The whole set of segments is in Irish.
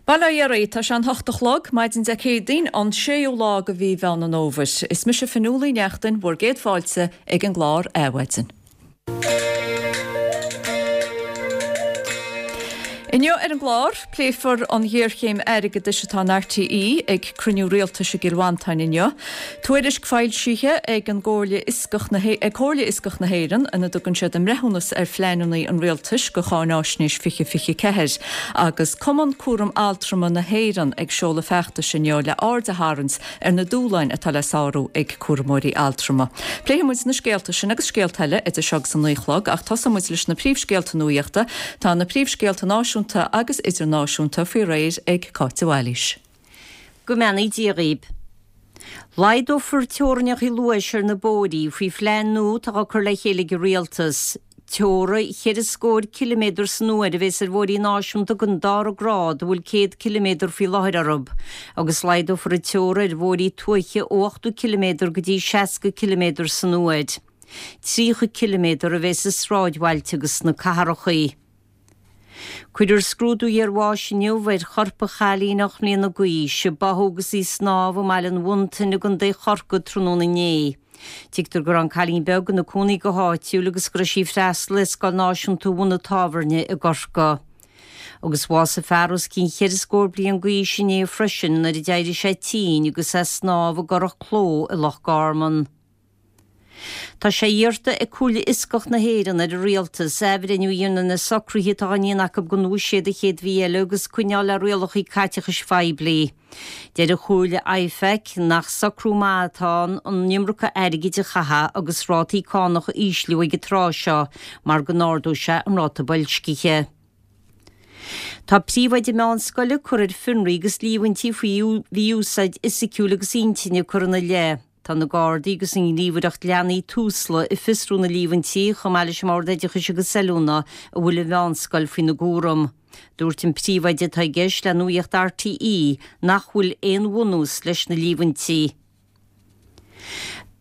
Bail ó Dhia oraibh, tá sé an hocht a chlog, maidin Dé Céadaoin, an séú lá de mhí Mheán an Fhómhair. Is mise Fionnuala Uí Neachtain, bhur gcéad fáilte ag an gclár Adhmhaidin. Inniu ar an gclár, pléifear an ghéarchéim airgeadais atá in RTÉ ag cruinniú rialtais i gCill Mhantáin inniu. Tuairisc foilsithe ag an gComhairle Fhioscach na ag Comhairle Fhioscach na hÉireann ina dtugann siad a mbreithiúnas ar phleananna an rialtais do cháináisnéis 2024 agus Cumann Cúram Altrama na hÉireann ag seoladh feachtais inniu le aird a tharraingt ar na dúshláin atá le sárú ag cúramóirí altrama. Pléifidh muid na scéalta sin agus scéalta eile idir seo agus a 9 a chlog ach tosóidh muid leis na príomhscéalta nuachta. Tá na príomhscéalta náisiúnta agus idirnáisiúnta faoi réir ag Cáit de Bhailís. Go mbeannaí Dia dhaoib. Laghdófar teorainneacha luais ar na bóithrí faoi phlean nua atá á cur le chéile ag an Rialtas. Teora cheithre scór ciliméadar san uair a bhéas ar bhóithrí náisiúnta den dara grád a bhfuil 100 ciliméadar faoi láthair orthu, agus laghdófar an teora ar bhóithrí tuaithe ó 80 ciliméadar go dtí 60 ciliméadar san uair. 30 ciliméadar a bhéas i sráidbhailte agus sna cathracha. Cuirfear scrúdú iarbháis inniu ar chorp an chailín 8 mbliana d'aois a báthadh agus í ag snámh i mBaile an Mhuntain i gContae Chorcaí tráthnóna inné. Tuigtear go raibh an cailín beag ina cónaí go háitiúil agus go raibh sí ag freastal ar Scoil Náisiúnta Bhun an Tábhairne i gCorcaigh. Agus bhásaigh fear os cionn cheithre scór bliain d'aois inné freisin nuair a d'éirigh sé tinn agus é ag snámh i gCurrach Cló i Loch Garman. Tá sé iarrta ag Comhairle Fhioscach na hÉireann ar an Rialtas athbhreithniú a dhéanamh ar na socruithe atá á ndéanamh acu don bhuiséad an chéad mhí eile agus coinneáil le rialacha caiteachais phoiblí. Deir an Chomhairle IFAC nach socrú maith atá ann an iomarca airgid a chaitheamh agus rátaí cánach a ísliú ag an tráth seo mar go n-ardóidh sé an ráta boilscithe. Tá príomhoide meánscoile curtha ar fionraí agus líomhaintí faoi mhí-úsáid fhisiciúil agus intinne curtha ina leith. Tá na Gardaí agus an ghníomhaireacht leanaí Tusla ag fiosrú na líomhaintí, chomh maith leis an mBord Oideachais agus Oiliúna a bhfuil an mheánscoil faoina gcúram. Dúirt an príomhoide atá i gceist le Nuacht RTÉ nach bhfuil aon bhunús leis na líomhaintí.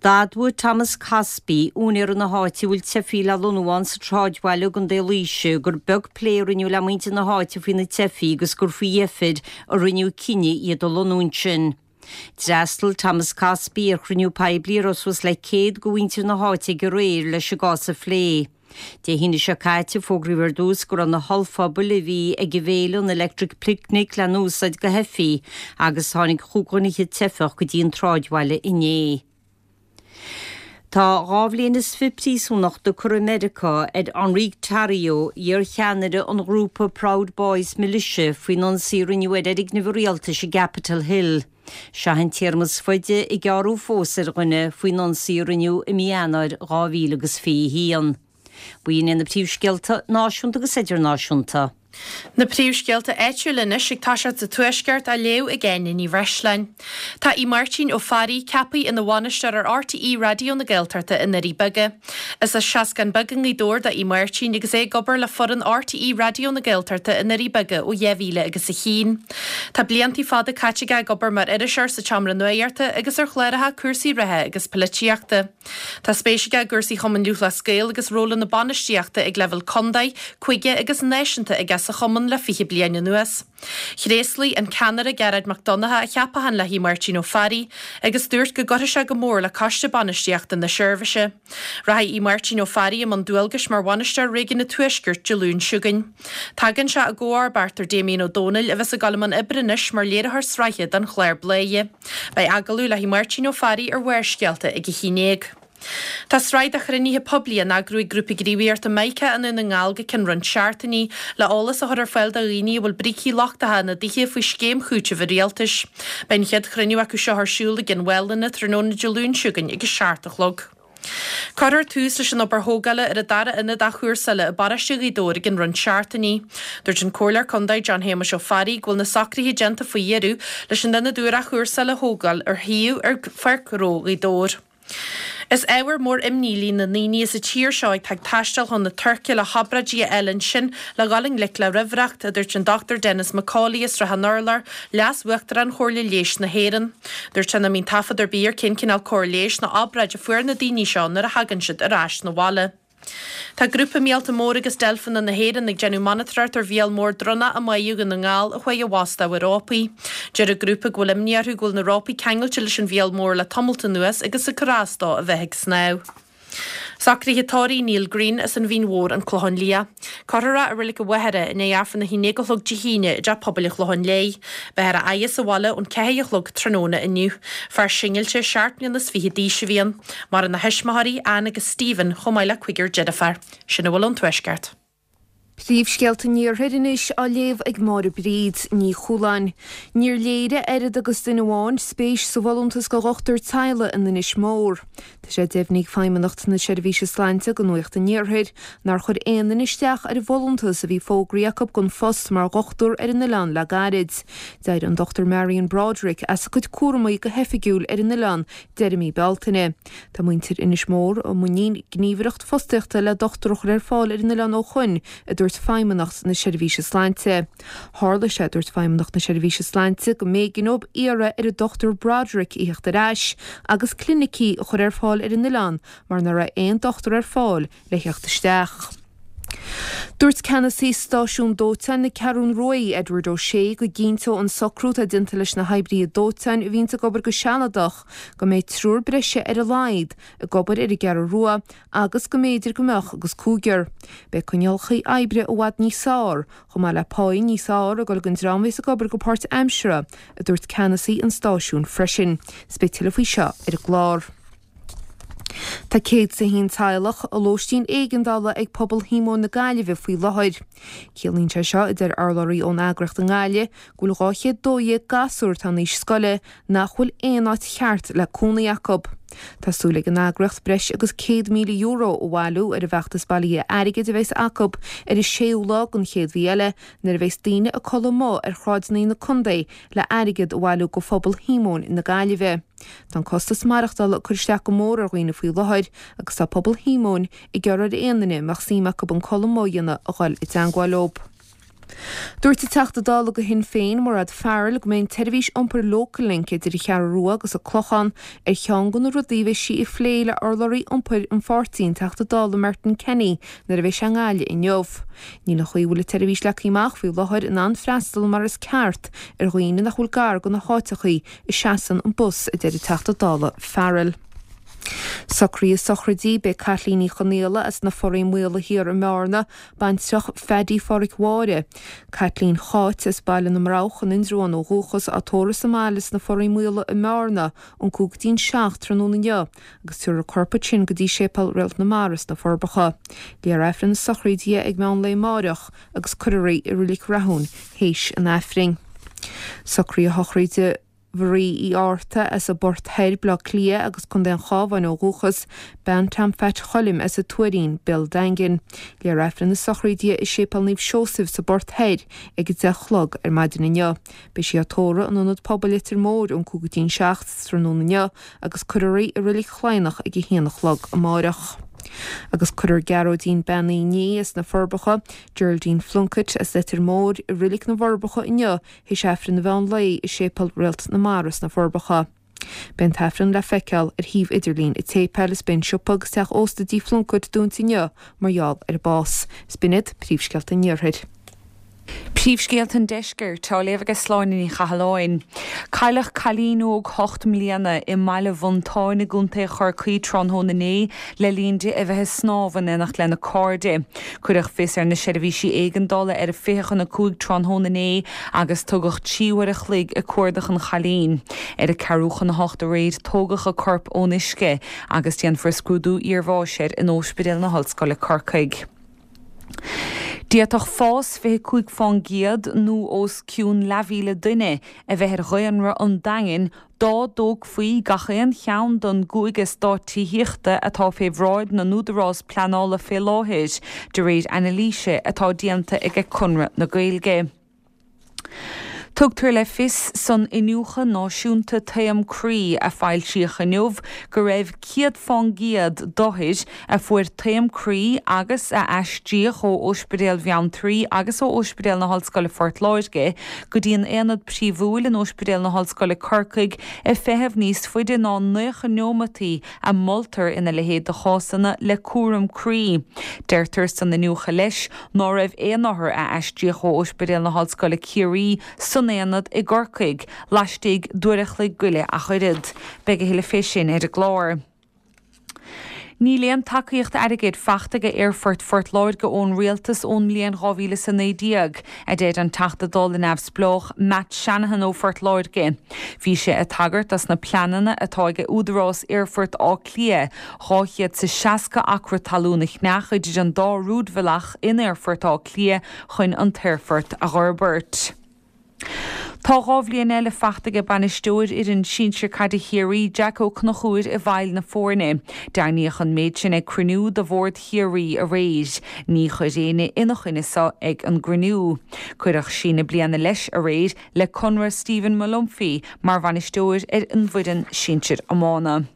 D'admhaigh Thomas Cosby, úinéara na háite a bhfuil teifigh le lonnú ann sa tsráidbhaile i gContae Laoise, gur beag plé a rinneadh le muintir na háite faoi na teifigh agus gur faoi dheifir a rinneadh cinneadh iad a lonnú ansin. D'fhreastail Thomas Cosby ar chruinniú poiblí a raibh suas le 100 de mhuintir na háite ag aréir leis an gcás a phlé. Dé hAoine seo caite, fógraíodh ar dtús go raibh na hollphubaill a bhí ag an bhféile an Electric Picnic le n-úsáid do theifigh agus tháinig chúig dhuine fhichead teifeach go dtí an tsráidbhaile inné. Tá 2 bhliain is fi príosúnachta curtha i Meiriceá ar Enrique Tarrio, iar-cheannaire an ghrúpa Proud Boys Militia faoin ionsaí a rinneadh ar fhoirgneamh an rialtais i gCapitol Hill. Seo an téarma is faide a gearradh fós ar dhuine faoin ionsaí a rinneadh i mí Eanáir 2021. B'in iad na príomhscéalta náisiúnta agus idirnáisiúnta. Na príomhscéalta áitiúla anois ag toiseacht sa Tuaisceart á léamh ag Áine Ní Bhreisleáin. Tá Aodh Máirtín Ó Fearraigh ceaptha ina bhainisteoir ar RTÉ Raidió na Gaeltachta i nDoirí Beaga. Is as Seascann Beag i nGaoth Dobhair do Aodh Máirtín agus é ag obair le foireann RTÉ Raidió na Gaeltachta i nDoirí Beaga ó 2000 agus a haon. Tá blianta fada caite aige ag obair mar iriseoir sa tSeomra Nuachta agus ar chláracha cúrsaí reatha agus polaitíochta. Tá spéis aige i gcúrsaí Chumann Lúthchleas Gael agus rólanna bainistíochta ag leibhéal contae, cúige agus náisiúnta aige sa chumann le 20 bliain anuas. Thréaslaigh an ceannaire Gearóid Mac Donncha a cheapachán le hAodh Máirtín Ó Fearraigh agus dúirt go gcuirfidh sé go mór le coiste bainistíochta na seirbhíse. Rachaidh Aodh Máirtín Ó Fearraigh i mbun dualgais mar bhainisteoir Réigiún an Tuaiscirt Dé Luain seo chugainn. Tagann sé i gcomharbacht ar Damien Ó Dónaill a bheas ag dul i mbun oibre anois mar léiritheoir sraithe don chlár Bladhaire. Beidh agallamh le hAodh Máirtín Ó Fearraigh ar Bharrscéalta ag a haon déag. Tá sraith de chruinnithe poiblí á n-eagrú ag Grúpa Gníomhaíochta Mica i nDún na nGall go ceann roinnt seachtainí le eolas a chur ar fáil do dhaoine a bhfuil brící lochtacha ina dtithe faoi scéim chúitimh an Rialtais. Beidh an chéad chruinniú acu seo ar siúl i gCionn Mhálanna tráthnóna Dé Luain seo chugainn ag a 7 a chlog. Cuirfear tús leis an obair thógála ar an dara ionad athchúrsála i bparóiste Ghaoth Dobhair i gcionn roinnt seachtainí. Dúirt an Comhairleoir Contae John Shéamuis Ó Fearraigh go bhfuil na socruithe déanta faoi dheireadh leis an ionad úr athchúrsála a thógáil ar shuíomh ar Pháirc Ghnó Ghaoth Dobhair. Is ábhar mór imní líon na ndaoine sa tír seo atá ag taisteal chun na Tuirce le hobráidí a fháil ansin le dhul i ngleic le raimhreacht, a dúirt an Dr Denis McCauley as Srath an Urláir, Leas-Uachtarán Chomhairle Leighis na hÉireann. Dúirt sé nach mbíonn taifead ar bith ar cén cineál cóir leighis nó obráid a fuair na daoine seo nuair a thagann siad ar ais 'na bhaile. Tá Grúpa Míolta Móra agus Deilfeanna na hÉireann ag déanamh monatóireacht ar mhíol mór dronnach i mBáighe Dhún na nGall a chuaigh i bhfostú ar rópaí. Deir an grúpa go bhfuil imní orthu go bhfuil na rópaí ceangailte leis an mhíol mór le tamalt anuas agus ag cur as dó a bheith ag snámh. Socruithe tórraimh Neil Greene as an Mhín Mhór, An Clochán Liath. Cuirfear é i Reilig an Mhachaire i ndiaidh Aifreann a haon déag a chlog Dé hAoine i dTeach Pobail an Chlocháin Léith. Beifear á fhaire sa bhaile ón 4 a chlog tráthnóna inniu. Fear singilte, seacht mbliana is fichead d'aois a bhí ann. Maireann a thuismitheoirí, Ann agus Stephen, chomh maith le cuigear deirféar. Sin a bhfuil ón Tuaisceart. Príomhscéalta an Iarthair anois á léamh ag Máire Bríd Ní Chualáin. Níor léirigh oiread agus duine amháin spéis sa bhfolúntas do dhochtúir teaghlaigh in Inis Mór. Tá sé deimhnithe ag Feidhmeannacht na Seirbhíse Sláinte do Nuacht an Iarthair nár chuir aon duine isteach ar an bhfolúntas a bhí fógraithe acu don phost mar dhochtúir ar an oileán le gairid. D'éirigh an Dr Marion Broderick as a cuid cúramaí go hoifigiúil ar an oileán deireadh mí Bealtaine. Tá muintir Inis Mór i muinín gníomhaireacht fostaíochta le dochtúir a chur ar fáil ar an oileán ó shoin, a dúirt Feidhmeannacht na Seirbhíse Sláinte. Tharla sé, a dúirt Feidhmeannacht na Seirbhíse Sláinte, go mb'éigean dóibh iarraidh ar an Dr Broderick a theacht ar ais agus clinicí a chur ar fáil ar an oileán mar nach raibh aon dochtúir ar fáil le theacht isteach. Dúirt ceannasaí stáisiún dóiteáin na Ceathrún Ruaidh, Edward O'Shea, go gcinnteodh an socrú atá déanta leis na hoibrithe dóiteáin a bhíonns ag obair go sealadach go mbeidh triúr breise ar a laghad ag obair ar an gCeathrú Rua agus go mb'fhéidir go mbeadh agus cúigear. Beidh coinníollacha oibre i bhfad níos fearr, chomh maith le páí níos fearr ag dul don dream a bhéas ag obair go páirtaimseartha, a dúirt ceannasaí an stáisiúin freisin. 'S beidh tuilleadh faoi seo ar an gclár. Tá 101 teaghlach i lóistín éigeandála ag pobal Shíomóin na Gaillimhe faoi láthair. Ciallaíonn sé seo, a deir urlabhraí ón eagraíocht i nGaillimh, go bhfuil 212 gasúr atá in aois scoile nach bhfuil aon áit cheart le cónaí acu. Tá súil ag an eagraíocht breis agus €100,000 a bhailiú ar an bhfeachtas bailithe airgid a bheas acu ar an séú lá den chéad mhí eile nuair a bheas daoine ag codladh amuigh ar shráideanna na contae le airgead a bhailiú do phobal Shíomóin na Gaillimhe. Tá an costas maireachtála ag cur isteach go mór ar dhaoine faoi láthair agus tá pobal Shíomóin ag iarraidh ar aon duine a mbeadh suim acu an codladh amuigh a dhéanamh a dhul i dteangmháil leo. Dúirt an Teachta Dála do Shinn Féin, Mairéad Farrell, go mbeidh an tseirbhís iompair Local Link idir an Cheathrú Rua agus an Clochán ar cheann de na rudaí a bheidh sí ag phlé le urlabhraí iompair an pháirtí, an Teachta Dála Martin Kenny, nuair a bheidh sé i nGaillimh inniu. Níl an chaoi a bhfuil an tseirbhís leagtha amach faoi láthair in ann freastal mar is ceart ar dhaoine nach bhfuil gar do na háiteachaí a seasann an bus, a deir an Teachta Dála Farrell. Socruithe sochraide, Beidh Caitlín Ní Chonaola as na Foraí Maola Thiar i mBearna, baintreach Phaddy Pháraic Mháire, Caitlín Cháit as Baile na mBroghach in Indreabhán ó dhúchas, á tórramh sa mbaile sna Foraí Maola i mBearna ón 5 go dtí'n 7 tráthnóna inniu agus tabharfar a corp ansin go dtí Séipéal Réalt na Mara sna Forbacha. Léifear Aifreann na sochraide di ag meán lae amáireach agus cuirfear í i Reilig Rathúin théis an Aifrinn. Socruithe sochraide Mharie Uí Fhátharta as an bPort Thoir, Baile Átha Cliath agus Contae an Chabháin ó dhúchas, bean Tom Pheait Choilm as an Tuairín, Béal an Daingin. Léifear Aifreann na sochraide di i Séipéal Naomh Seosaimh sa bPort Thoir ag 10 a chlog ar maidin inniu. Beidh sí á tórramh in Ionad Pobail Leitir Móir ón 5 go dtí'n 7 tráthnóna inniu agus cuirfear í i Reilig Chladhnach ag 1 a chlog amáireach. Agus cuirfear Gearóidín Bean Uí Ní as na Forbacha, Geraldine Plunkett as Leitir Móir i Reilig na bhForbacha inniu théis Aifreann an mheán lae i Séipéal Réalt na Mara sna Forbacha. Beidh an tAifreann le feiceáil ar shuíomh idirlín an tséipéil is beidh an siopa agus teach ósta Dí Phlunkett dúnta inniu mar gheall ar an bás. Is b'in iad príomhscéalta an Iarthair. Príomhscéalta an Deiscirt á léamh ag Sláine Ní Chathalláin. Cailleadh cailín óg 8 mbliana i mBaile Mhontáin i gContae Chorcaí tráthnóna inné le linn di a bheith ag snámh in éineacht lena cairde. Cuireadh fios ar na seirbhísí éigeandála ar a 4:40 tráthnóna inné agus tugadh 3 uair a chloig ag cuardach an chailín. Ar a 7:45 aréir tógadh a corp ón uisce agus déanfar scrúdú iarbháis air in Óispidéal na hOllscoile Corcaigh. D'fhéadfadh fás 25 fán gcéad nó os cionn leathmhíle duine a bheith ar dhaonra an Daingin dá dtógfaí gach aon cheann den gcúig eastát tithíochta atá fé bhráid na n-údarás pleanála fé láthair, de réir anailíse atá déanta ag Conradh na Gaeilge. Tugtar le fios san Iniúchadh Náisiúnta Taom Croí a foilsíodh inniu go raibh 100% d'othair a fuair taom croí agus a aistríodh ó Ospidéal Bheanntraí agus ó Ospidéal na hOllscoile Phort Láirge go dtí an Aonad Príomhúil in Ospidéal na hOllscoile Corcaigh ag feitheamh níos faide ná 90 neomataí a moltar ina leithéid de chásanna le cúram croí. Deirtear san iniúchadh leis ná raibh aon othar a aistríodh ó Ospidéal na hOllscoile Ciarraí san aonad i gCorcaigh laistigh d'uair a chloig goile ach oiread. Beidh a thuilleadh fé sin ar an gclár. Níl aon tacaíocht airgid fachta ag Aerfort Phort Láirge ón Rialtas ón mbliain 2019, a deir an Teachta Dála neamhspleách Matt Shanahan ó Phort Láirge. Bhí sé ag tagairt dos na pleananna atá ag Údarás Aerfort Átha Cliath 260 acra talún a cheannach idir an dá rúidbhealach in Aerfort Átha Cliath chun an t-aerfort a dh'fhorbairt. Tá 2 bhliain eile fachta ag bainisteoir fhoireann sinsir caide Chiarraí, Jack Ó Conchúir i bhfeighil na foirne. Deimhníodh an méid sin ag cruinniú de bhord Chiarraí aréir. Ní chuir éinne ina choinne so ag an gcruinniú. Cuireadh síneadh bliana leis aréir le conradh Stephen Molumphy mar bhainisteoir ar an bhfoireann sinsir iomána.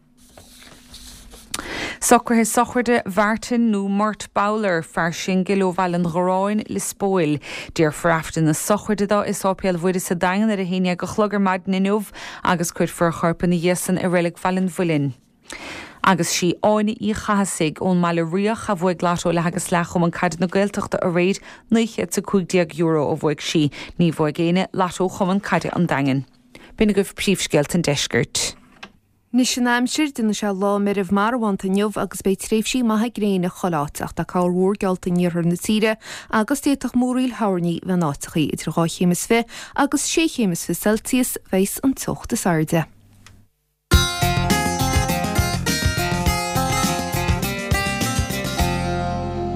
Socruithe sochraide Mhartin nó Murt Bowler, fear singil ó Bhaile an Gharráin, Lios Póil. Déarfar Aifreann na sochraide dó i Sáipéal Mhuire sa Daingean ar a haon dhéag a chlog ar maidin inniu agus cuirfear a chorp ina dhiaidh san i Reilig Bhaile an Mhuilinn. Agus sí Áine Uí Chathasaigh ón mBaile Riach a bhuaigh Lotto leath agus leath Chumann Caide na Gaeltachta aréir, €915 a bhuaigh sí. Ní bhuaigh éinne Lotto Chumann Caide an Daingin. B'in agaibh príomhscéalta an deiscirt. Anois an aimsir, déanfaidh sé lá meirbh marbhánta inniu agus beidh tréimhsí maithe gréine chuile áit ach tá corrmhúr geallta in iarthar na tíre agus d'fhéadfadh múraíl thoirní bheith in áiteachaí. Idir 2 chéim is fi agus 6 chéim is fi Celsius bheas an teocht is airde.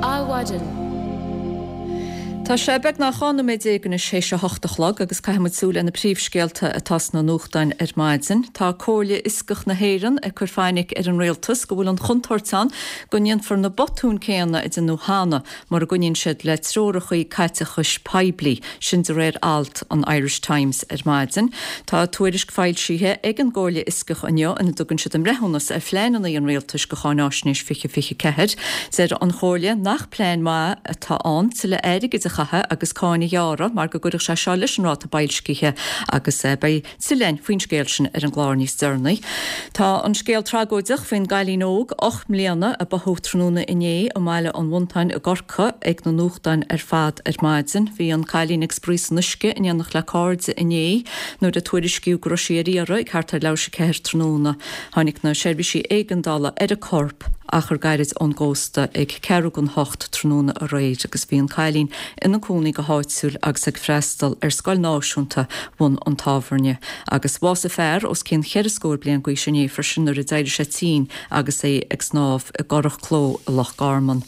Adhmhaidin. Tá sé beagnach 12 nóiméad anois théis a hocht a chlog agus caithfidh muid súil ar na príomhscéalta atá sna nuachtáin ar maidin. Tá Comhairle Fhioscach na hÉireann ag cur fainic ar an Rialtas go bhfuil an chontúirt ann go ndéanfar na botúin céanna a déanadh cheana mura gcoinníonn siad le treorachaí caiteachais poiblí, sin de réir alt an Irish Times ar maidin. Tá tuairisc foilsithe ag an gComhairle Fhioscach inniu ina dtugann siad a mbreithiúnas ar phleananna an Rialtais do Cháináisnéis 2024. Deir an Chomhairle nach plean maith atá ann tuilleadh airgid a chaitheamh agus cáin a ghearradh mar go gcuirfeadh sé seo leis an ráta boilscithe agus beidh tuilleadh faoin scéal sin ar an gclár níos deireanaí. Tá an scéal tragóideach faoin gcailín óg 8 mbliana a báthadh tráthnóna inné i mBaile an Mhontáin i gCorcaigh ag na nuachtáin ar fad ar maidin. Bhí an cailín ag spraoi san uisce in éineacht le cairde inné nuair a tuairiscíodh go raibh sí ar iarraidh ag thart ar leathuair tar éis a ceathair tráthnóna. Tháinig na seirbhísí éigeandála ar a corp achar gairid ón gcósta ag ceathrú don hocht tráthnóna aréir agus bhí an cailín ina cónaí go háitiúil agus ag freastal ar Scoil Náisiúnta Bhun an Tábhairne. Agus bhásaigh fear os cionn cheithre scór bliain d'aois inné freisin nuair a d'éirigh sé tinn agus é ag snámh i gCurrach Cló i Loch Garman.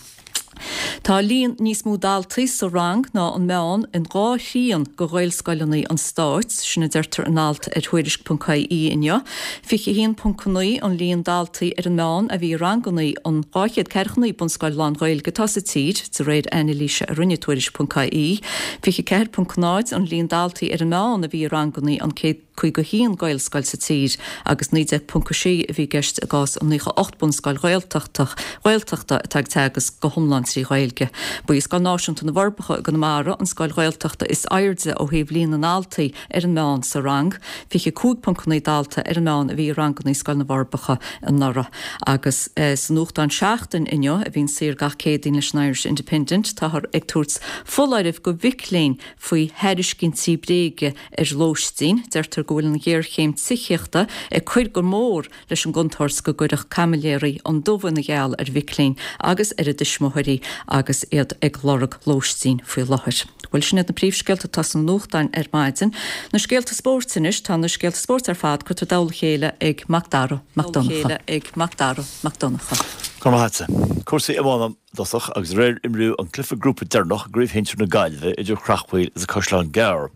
Tá líon níos mó daltaí sa rang ná an meán in dhá thrian de Ghaelscoileanna an stáit, sin a deirtear in alt ar Tuairisc.ie inniu. 21.9 an líon daltaí ar an meán a bhí i ranganna in 249 bunscoil lán-Ghaeilge atá sa tír, de réir anailíse a rinne Tuairisc.ie. 24.0 an líon daltaí ar an meán a bhí i ranganna an 151 Gaelscoil sa tír agus 19.6 a bhí i gceist i gcás an 98 bunscoil Ghaeltachta Ghaeltachta atá ag teagasc go hiomlán trí Ghaeilge. Ba í Scoil Náisiúnta na bhForbacha i gConamara an scoil Ghaeltachta is airde ó thaobh líon na ndaltaí ar an meán sa rang, 25.9 dalta ar an meán a bhí i ranganna Scoil na bhForbacha anuraidh. Agus sa nuachtán Seachtain inniu, a bhíonn saor gach Céadaoin leis an Irish Independent, táthar ag tabhairt foláirimh do mhic léinn faoi thairiscintí bréige ar lóistín. Deirtear go bhfuil an ghéarchéim tithíochta ag cur go mór leis an gcontúirt go gcuirfeadh caimiléirí an dubh ina gheal ar mhic léinn agus ar a dtuismitheoirí agus iad ag lorg lóistín faoi láthair. Bhuel, sin iad na príomhscéalta atá sna nuachtáin ar maidin. Na scéalta spóirt anois. Tá na scéalta spóirt ar fad curtha i dtoll a chéile ag Mac Dara Mac Donncha. ag Mac Dara Mac Donncha. Go raibh maith agatsa. Cúrsaí iomána i dtosach agus aréir imríodh an cluiche grúpa deireanach i gCraobh Shinsir na Gaillimhe idir Creachmhaoil agus Caisleán Gearr,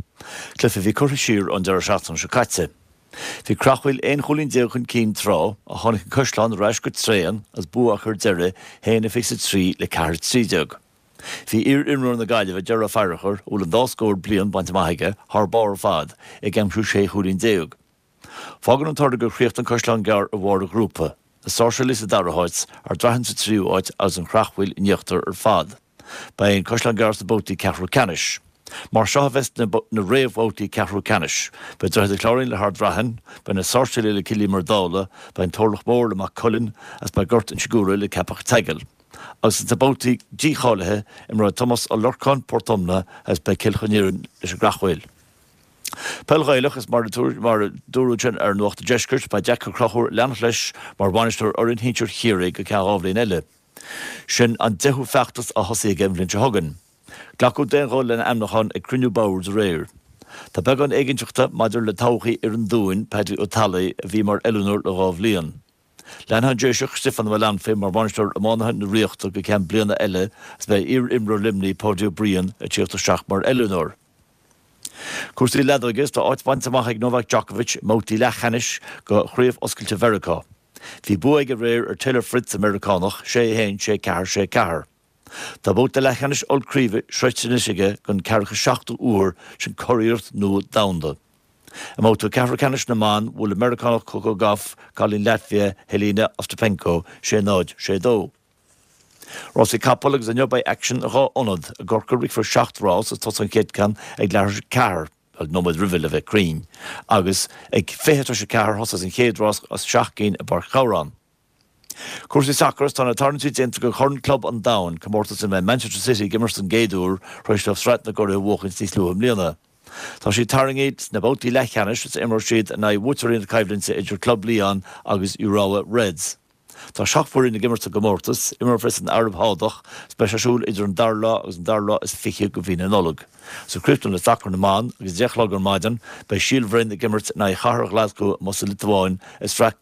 cluiche a bhí curtha siar ón deireadh seachtaine seo caite. Bhí Creachmhaoil 11 chúilín chun cinn tráth ach tháinig an Caisleán ar ais go tréan agus bua acu ar deireadh, 1-23 le 4-13. Bhí iar-imreoir na Gaillimhe, Ger Ó Fearchair, a bhfuil an dá scór bliain bainte amach aige, thar barr ar fad, ag aimsiú 16 chúilín. Fágann an toradh gur chríochnaigh an Caisleán Gearr ar bharr an ghrúpa, na Sáirséalaigh sa dara háit, Ard Raithin sa tríú háit agus an Chreachmhaoil in íochtar ar fad. Beidh an Caisleán Gearr sna babhtaí ceathrú ceannais. Mar seo a bheas na réamhbhabhtaí ceathrú ceannais, beidh Droichead an Chláirín le hArd Raithin, beidh na Sáirséalaigh le Cill Íomair Dála, beidh an Turlach Mór le Maigh Cuilinn agus beidh Gort Inse Guaire le Ceapach Teagail. Agus sna babhtaí dícháilithe, imreoidh Tomás Ó Lorcáin, Port Omna agus beidh Cill Choirín leis an gCreachmhaoil. Peil Ghaelach, Is mar a dúradh ansin ar Nuacht an Deiscirt, beidh Jack Ó Conchúir ag leanacht leis mar bhainisteoir fhoireann shinsir Chiarraí go ceann 2 bhliain eile. Sin an deichiú feachtas á thosaí aige an bhliain seo chugainn. Glacadh d'aon ghuth lena ainmniúchán ag cruinniú boird aréir. Tá beagán éiginnteachta maidir le todhchaí fhoireann an Dúin, Paddy Ó Tallai, a bhí mar oiliúnóir le 2 bhliain. Leanfaidh an Déiseach, Stiofán Ó Maolanfaidh, mar bhainisteoir iománaithe na Ríochta go ceann bliana eile agus beidh iar-imreoir Luimnigh, Páidí Ó Briain, ag tíocht isteach mar oiliúnóir. Cúrsaí leadóige is tá áit bainte amach ag Novak Djokovic i mbabhtaí leathcheannais go Chraobh Oscailte Mheiriceá. Bhí bua aige aréir ar Taylor Fritz, an Meiriceánach, 6, 1, 6, 4, 6, 4. Tá babhta leathcheannais ollchraoibhe sroichte anois aige don ceathracha seachtú uair, sin curiarracht nua domhanda. I mbabhta ceathrú ceannais na mban, bhuail an Meiriceánach Coco Gauff cailín Latvia Jelena Ostapenko, 6, 0, 6, 2. Rásaí capall agus inniu beidh aicsean i 2 ionad. I gCorcaigh rithfear 7 rás agus tosóidh an chéad ceann ag leathuair tar éis a ceathair, bhuel, nóiméad roimhe le bheith cruinn, agus ag 4:20 a thosós an chéad rás as 7 gcinn i bPáirc Chabhráin. Cúrsaí sacair Tá na tarraingtí déanta do Chorn Club an Domhain, comórtas ina mbeidh Manchester City ag imirt don gcéad uair tar éis dóibh Sraith na gCuradh a bhuachaint níos luaithe i mbliana. Tá siad tarraingthe sna babhtaí leathcheannais agus imreoidh siad in aghaidh bhuaiteoirí na coimhlinte idir Club Lyon agus Urawa Reds. Tá 17 foireann ag imirt sa gcomórtas, imreofar san Araib Shádach agus beidh sé ar siúl idir an dara lá agus an dara lá is fiche de mhí na Nollag. So críochnú le sacar na mban agus ag 10 a chlog ar maidin beidh Síol Bhroin ag imirt in aghaidh Chathair Ghlaschú amuigh sa Liotuáin i Sraith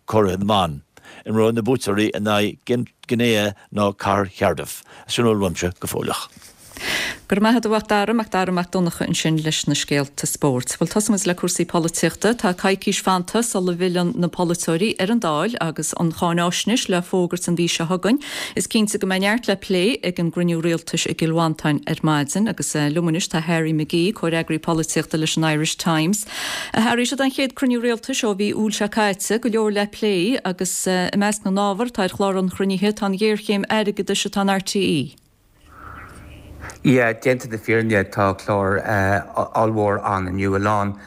Curaithe na mBan. Imreoidh na buaiteoirí in aghaidh Guinea nó Cathair Chardiff. Sin a bhfuil uaimse go fóilleach. Go raibh maith agat a Mhac Dara, Mac Dara Mac Donncha ansin leis na scéalta spóirt. Bhuel, tosóidh muid le cúrsaí polaitíochta. Tá coicís fanta sula bhfilleann na polaiteoirí ar an Dáil agus an cháináisnéis le fógairt an mhí seo chugainn. Is cinnte go mbeidh neart le plé ag an gcruinniú rialtais i gCill Mhantáin ar maidin agus liom anois tá Harry McGee, comhfhreagraí polaitíochta leis an Irish Times. A Harry, seo an chéad cruinniú rialtais ó mhí Iúil seo caite, go leor le plé agus i measc na n-ábhar atá ar chlár an chruinnithe tá an ghéarchéim airgeadais atá in RTÉ. Yeah, déanta na fírinne tá clár ollmhór ann inniu, a lán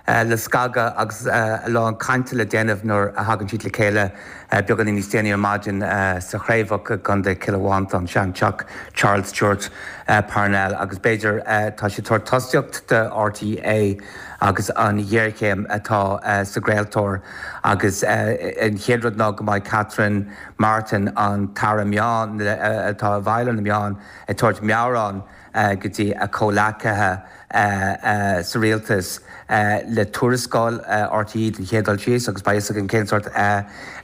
le scagadh agus a lán cainte le déanamh nuair a thagann siad le chéile beagáinín níos déanaí ar maidin sa Chraobhach i gContae Chill Mhantáin, seanteach Charles Stewart Parnell agus b'fhéidir tá siad ag tabhairt tosaíocht do RTÉ agus an ghéarchéim atá sa gcraoltóir agus an chéad rud ná go mbeidh Catherine Martin, an tAire Meán atá i bhfeighil ar na meáin, ag tabhairt meabhrán go dtí a comhleacaithe sa rialtas le tuarascáil RTÉ den chéad dul síos agus beidh fhios againn cén sórt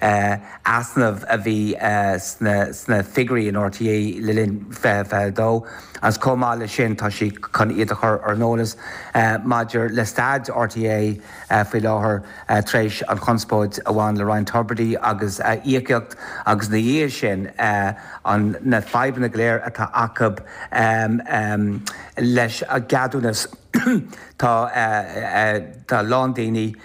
easnamh a bhí sna figiúirí in RTÉ le linn 2022 agus chomh maith leis sin tá sí chun iad a chur ar an eolas maidir le staid RTÉ faoi láthair tar éis an chonspóid a bhain le Ryan Tubridy agus a íocaíocht agus ina dhiaidh sin an na fadhbanna go léir atá acu leis an gceadúnas. Tá a lán daoine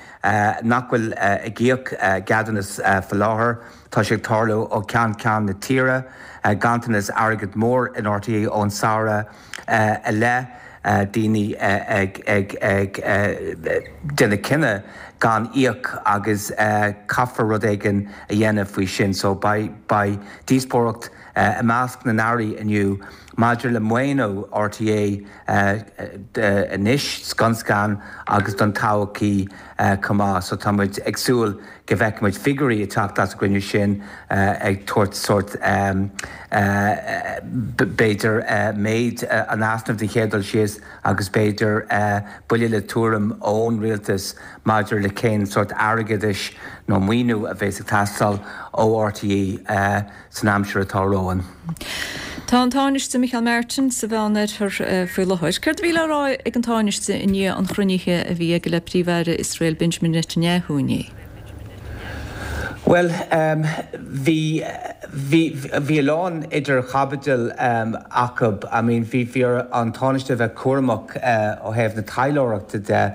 nach bhfuil ag íoc ceadúnas faoi láthair. Tá sé ag tarlú ó cheann ceann na tíre. Ganntanas airgid mór in RTÉ ón samhradh i leith. Daoine ag déanamh cinneadh gan íoc agus caithfear rud éigin a dhéanamh faoi sin. So beidh díospóireacht i measc na n-airí inniu maidir le maoiniú RTÉ anois, scun scan, agus don todhchaí chomh maith. So tá muid ag súil go bhfeicfidh muid figiúirí ag teacht as an gcruinniú sin ag tabhairt sórt b'fhéidir méid an easnaimh den chéad dul síos agus b'fhéidir buille le tuairim ón rialtas maidir le cén sórt airgeadais nó maoiniú a bheas ag teastáil ó RTÉ san aimsir atá romhainn. Tá an Tánaiste Micheál Martin sa Mheánoirthear faoi láthair. Céard a bhí le rá ag an Tánaiste i ndiaidh an chruinnithe a bhí aige le Príomh-Aire Iosrael Benjamin Netanyahu inné? Bhuel, bhí, bhí, bhí a lán idir chaibidil acu. I mean, bhí, bhí ar an Tánaiste a bheith cúramach ó thaobh na taidhleoireachta de,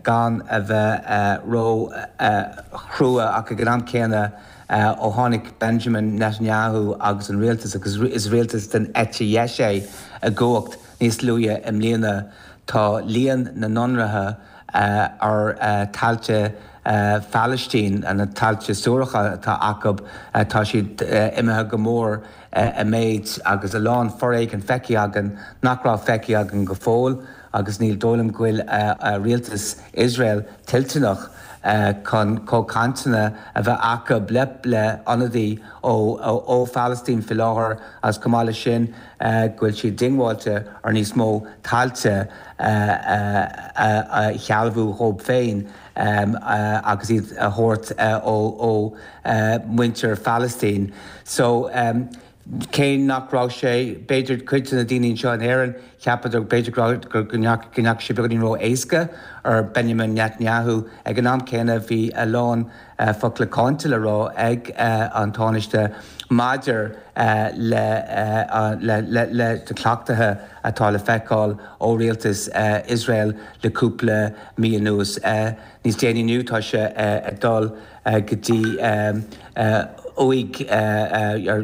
gan a bheith ró-chrua ach ag an am céanna ó tháinig Benjamin Netanyahu agus an rialtas, agus is rialtas den eite dheis é, i gcumhacht níos luaithe i mbliana, tá líon na n-ionraithe ar thailte Phalaistín, na tailte suaracha atá acu, tá siad imithe go mór i méid agus a lán foréigin feicthe againn nach raibh feicthe againn go fóill agus ní dóigh liom go bhfuil rialtas Iosrael toilteanach chun comhchainteanna a bheith acu le hionadaí ó Phalaistín faoi láthair agus chomh maith leis sin go bhfuil siad diongbháilte ar níos mó tailte a shealbhú dhóibh féin agus iad a thabhairt ó mhuintir Phalaistín. So, cé nach raibh sé, b'fhéidir, cuid de na daoine anseo in Éirinn, cheapadar b'fhéidir go ndeachaigh sé beagáinín ró-éasca ar Benjamin Netanyahu. Ag an am céanna bhí a lán focla cáinte le rá ag an Tánaiste maidir le na cleachtaithe atá le feiceáil ó rialtas Iosrael le cúpla mí anuas. Níos déanaí inniu tá sé ag dul go dtí uaigh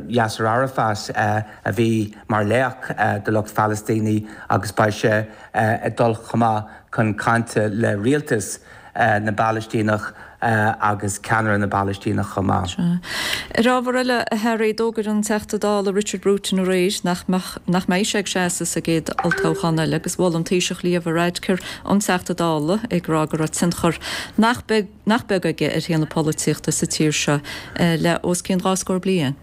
Yasser Arafat a bhí mar laoch do lucht Phalaistínigh agus beidh sé ag dul chomh maith chun cainte le rialtas na bPalaistíneach agus ceannaire na bPalaistíneach chomh maith. Ar ábhar eile, a Harry, d'fhógair an Teachta Dála Richard Bruton aréir nach nach mbeidh sé ag seasamh sa gcéad olltoghchán eile agus mhol an Taoiseach Leo Varadkar an Teachta Dála ag rá go raibh tionchar nach beag nach beag aige ar shaol na polaitíochta sa tír seo le os cionn dhá scór bliain.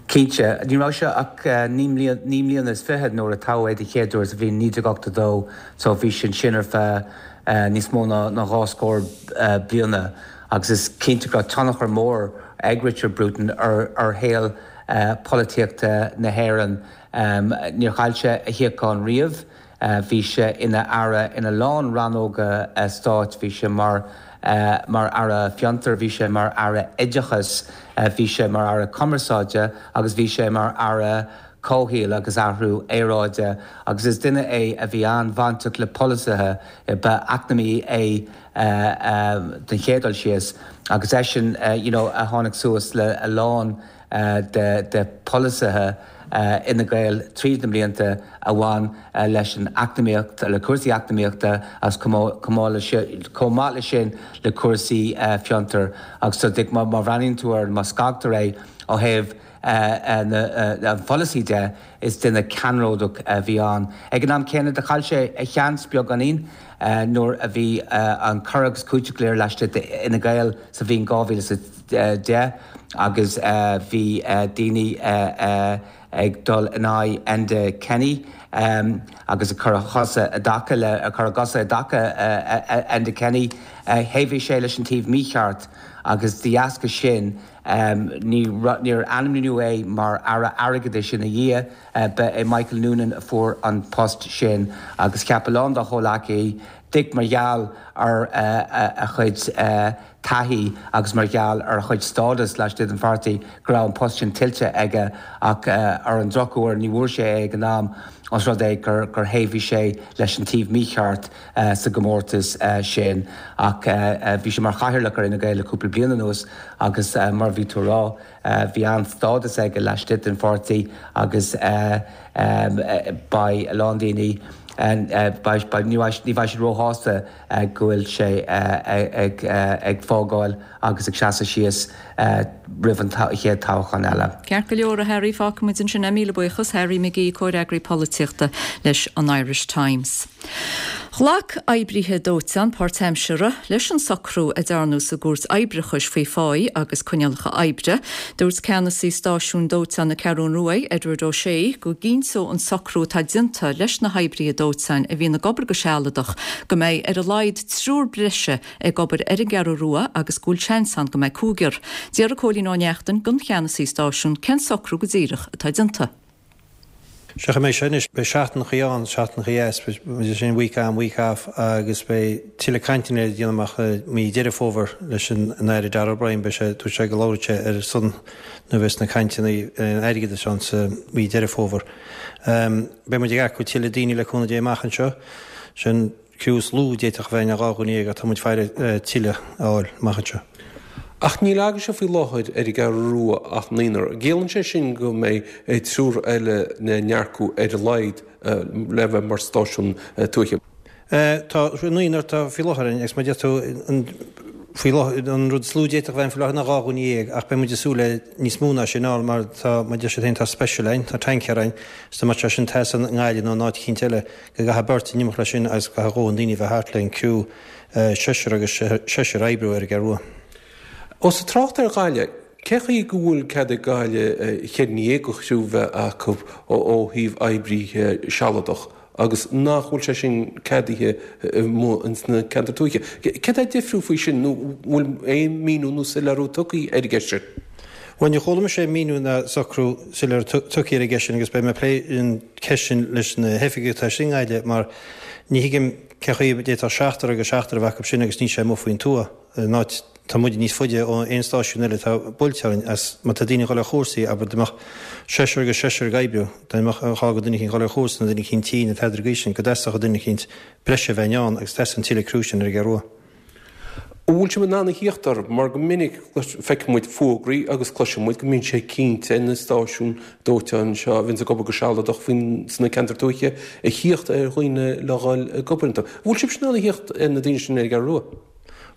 Cinnte. Ní raibh sé ach 29 mbliana nuair a toghadh é den chéad uair sa bhliain 1982 so bhí sé ansin ar feadh níos mó ná dhá scór bliana agus is cinnte go raibh tionchar mór ag Richard Bruton ar shaol polaitíochta na hÉireann. Níor chaill sé a shuíochán riamh. Bhí sé ina aire ina lán rannóga stáit, bhí sé mar mar Aire Fiontar, bhí sé mar Aire Oideachais, bhí sé mar Aire Cumarsáide agus bhí sé mar Aire Comhshaoil agus Athrú Aeráide agus is duine é a bhí an-bhainteach le polasaithe, ba eacnamaí é den chéad dul síos agus eisean you know a tháinig suas le a lán de pholasaithe Fhine Gael tríd na blianta a bhain leis an eacnamaíocht, le cúrsaí eacnamaíochta agus chomh maith leis sin le cúrsaí fiontair. Agus so má bhreathnaíonn tú air, má scagtar é ó thaobh an pholasaí de, is duine ceannródach a bhí ann. Ag an am céanna, do chaill sé a sheans beagáinín nuair a bhí an cur agus cúiteamh go léir laistigh d'Fhine Gael sa bhliain 2010 agus bhí daoine ag dul in aghaidh Enda Kenny agus ag cur a chosa i dtaca le, ag cur a gcosa i dtaca Enda Kenny. Thaobhaigh sé leis an taobh mícheart agus de dheasca sin níor ainmníodh é mar Aire Airgeadais ina dhiaidh. Ba é Michael Noonan a fuair an post sin agus cheap a lán dá chomhleacaithe, díreach mar gheall ar a chuid taithí agus mar gheall ar a chuid stádas laistigh den pháirtí, go raibh an post sin tuillte aige ach ar an drochuair ní bhfuair sé é ag an am os rud é gur thaobhaigh sé leis an taobh mícheart sa gcomórtas sin. Ach bhí sé mar chathaoirleach ar Fhine Gael le cúpla bliain anuas agus mar a bhí tú a rá, Bhí an-stádas aige laistigh den pháirtí agus beidh a lán daoine, ní bheidh siad róshásta go bhfuil sé ag fágáil agus ag seasamh síos roimh an chéad toghchán eile. Ceart go leor, a Harry, fágfaimid ansin é. Míle buíochas, Harry McGee, comhfhreagraí polaitíochta leis an Irish Times. Ghlac oibrithe dóiteáin páirtaimseartha leis an socrú a dearnadh sa gCúirt Oibreachais faoi pháí agus coinníollacha oibre. Dúirt ceannasaí stáisiúin dóiteáin na Ceathrún Rua, Edward O'Shea, go gcinnteodh an socrú atá déanta leis na hoibrithe dóiteáin a bhíonn ag obair go sealadach go mbeidh ar a laghad triúr breise ag obair ar an gCeathrú Rua agus go bhfuil seans ann go mbeidh cúigear. D'fhiafraigh Cóilín Ó Neachtain den cheannasaí stáisiúin cén socrú go díreach atá déanta. Sea, an mbeidh sé anois, beidh seachtaineachaí ann, seachtaineachaí as, beidh sin week on, week off agus beidh tuilleadh cainteanna le déanamh amach i mí Deireadh Fómhair leis an Aire Darragh O'Brien, beidh sé, dúirt sé go labhróidh sé ar a son nuair a bheas na cainteanna airgeadais ann sa mhí Deireadh Fómhair. Beidh muid ag earcú tuilleadh daoine le cúnamh Dé amach anseo. Sin. Criú is lú a d'fhéadfadh a bheith ná 12 dhuine ach tá muid ag faire tuilleadh a fháil amach anseo. Ach níl agaibhse faoi láthair ar an gCeathrú Rua ach naonúr. An gciallaíonn sé sin go mbeidh triúr eile le n-earcú ar a laghad le bheith mar stáisiún tuaithe? Tá naonúr atá faoi láthair ann agus mar a deir tú faoi láthair an rud is lú a d'fhéadfadh a bheith ann faoi láthair ná 12 dhuine ach beidh muid ag súil le níos mó ná sin a fháil mar tá mar a deir siad féin tá special ann, tá tanker ann is dá mbeadh sé sin ag teastáil i nGaillimh nó in áit eicínt eile go gcaithfidh beirt in imeacht leis sin agus go gcaithfidh a dhóthain daoine a bheith thart le an criú seisear agus seisear a oibriú ar an gCeathrú Rua. Ós ag trácht ar Ghaillimh, cé chaoi go bhfuil cead ag Gaillimh cheithre dhuine dhéag de chriú bheith acu ó thaobh oibríthe sealadach agus nach bhfuil sé sin ceadaithe amuigh ins na ceantair tuaithe? Céard é difriúil faoi sin nó bhfuil aon míniú nó soiléiriú tugtha ar an gceist sin? Bhuel, níor chuala mise aon míniú ná socrú soiléir tugtha ar an gceist sin agus beidh mé ag plé an ceist sin leis na hoifigigh atá istigh i nGaillimh mar ní thuigim cén chaoi a d'fhéadfadh seachtar agus seachtar a bheith acu sin agus níl sé amuigh faoin tuath in áit tá muid níos faide ó aon stáisiún eile atá buailte orainn agus má tá daoine ag dul ar chúrsaí abair dá mbeadh seisear agus seisear ag oibriú dá mbeadh an gá do duine eicínt dul ar chúrsa nó duine eicínt tinn nó tada ar an gcaoi sin go dteastódh duine eicínt breise a bheith ann agus teastaíonn tuilleadh criú sin ar an gCeathrú Rua. An bhfuil sibh in ann a thíocht orthu? Mar go minic feiceann muid fógraí agus cloiseann muid go mbíonn sé cinnte ar na stáisiúin dóiteáin seo a bhíonns ag obair go sealadach faoin sna ceantair tuaithe a thíocht ar dhaoine le dhul ag obair iontu. An bhfuil sibhse in ann a thíocht ar na daoine sin ar an gCeathrú Rua?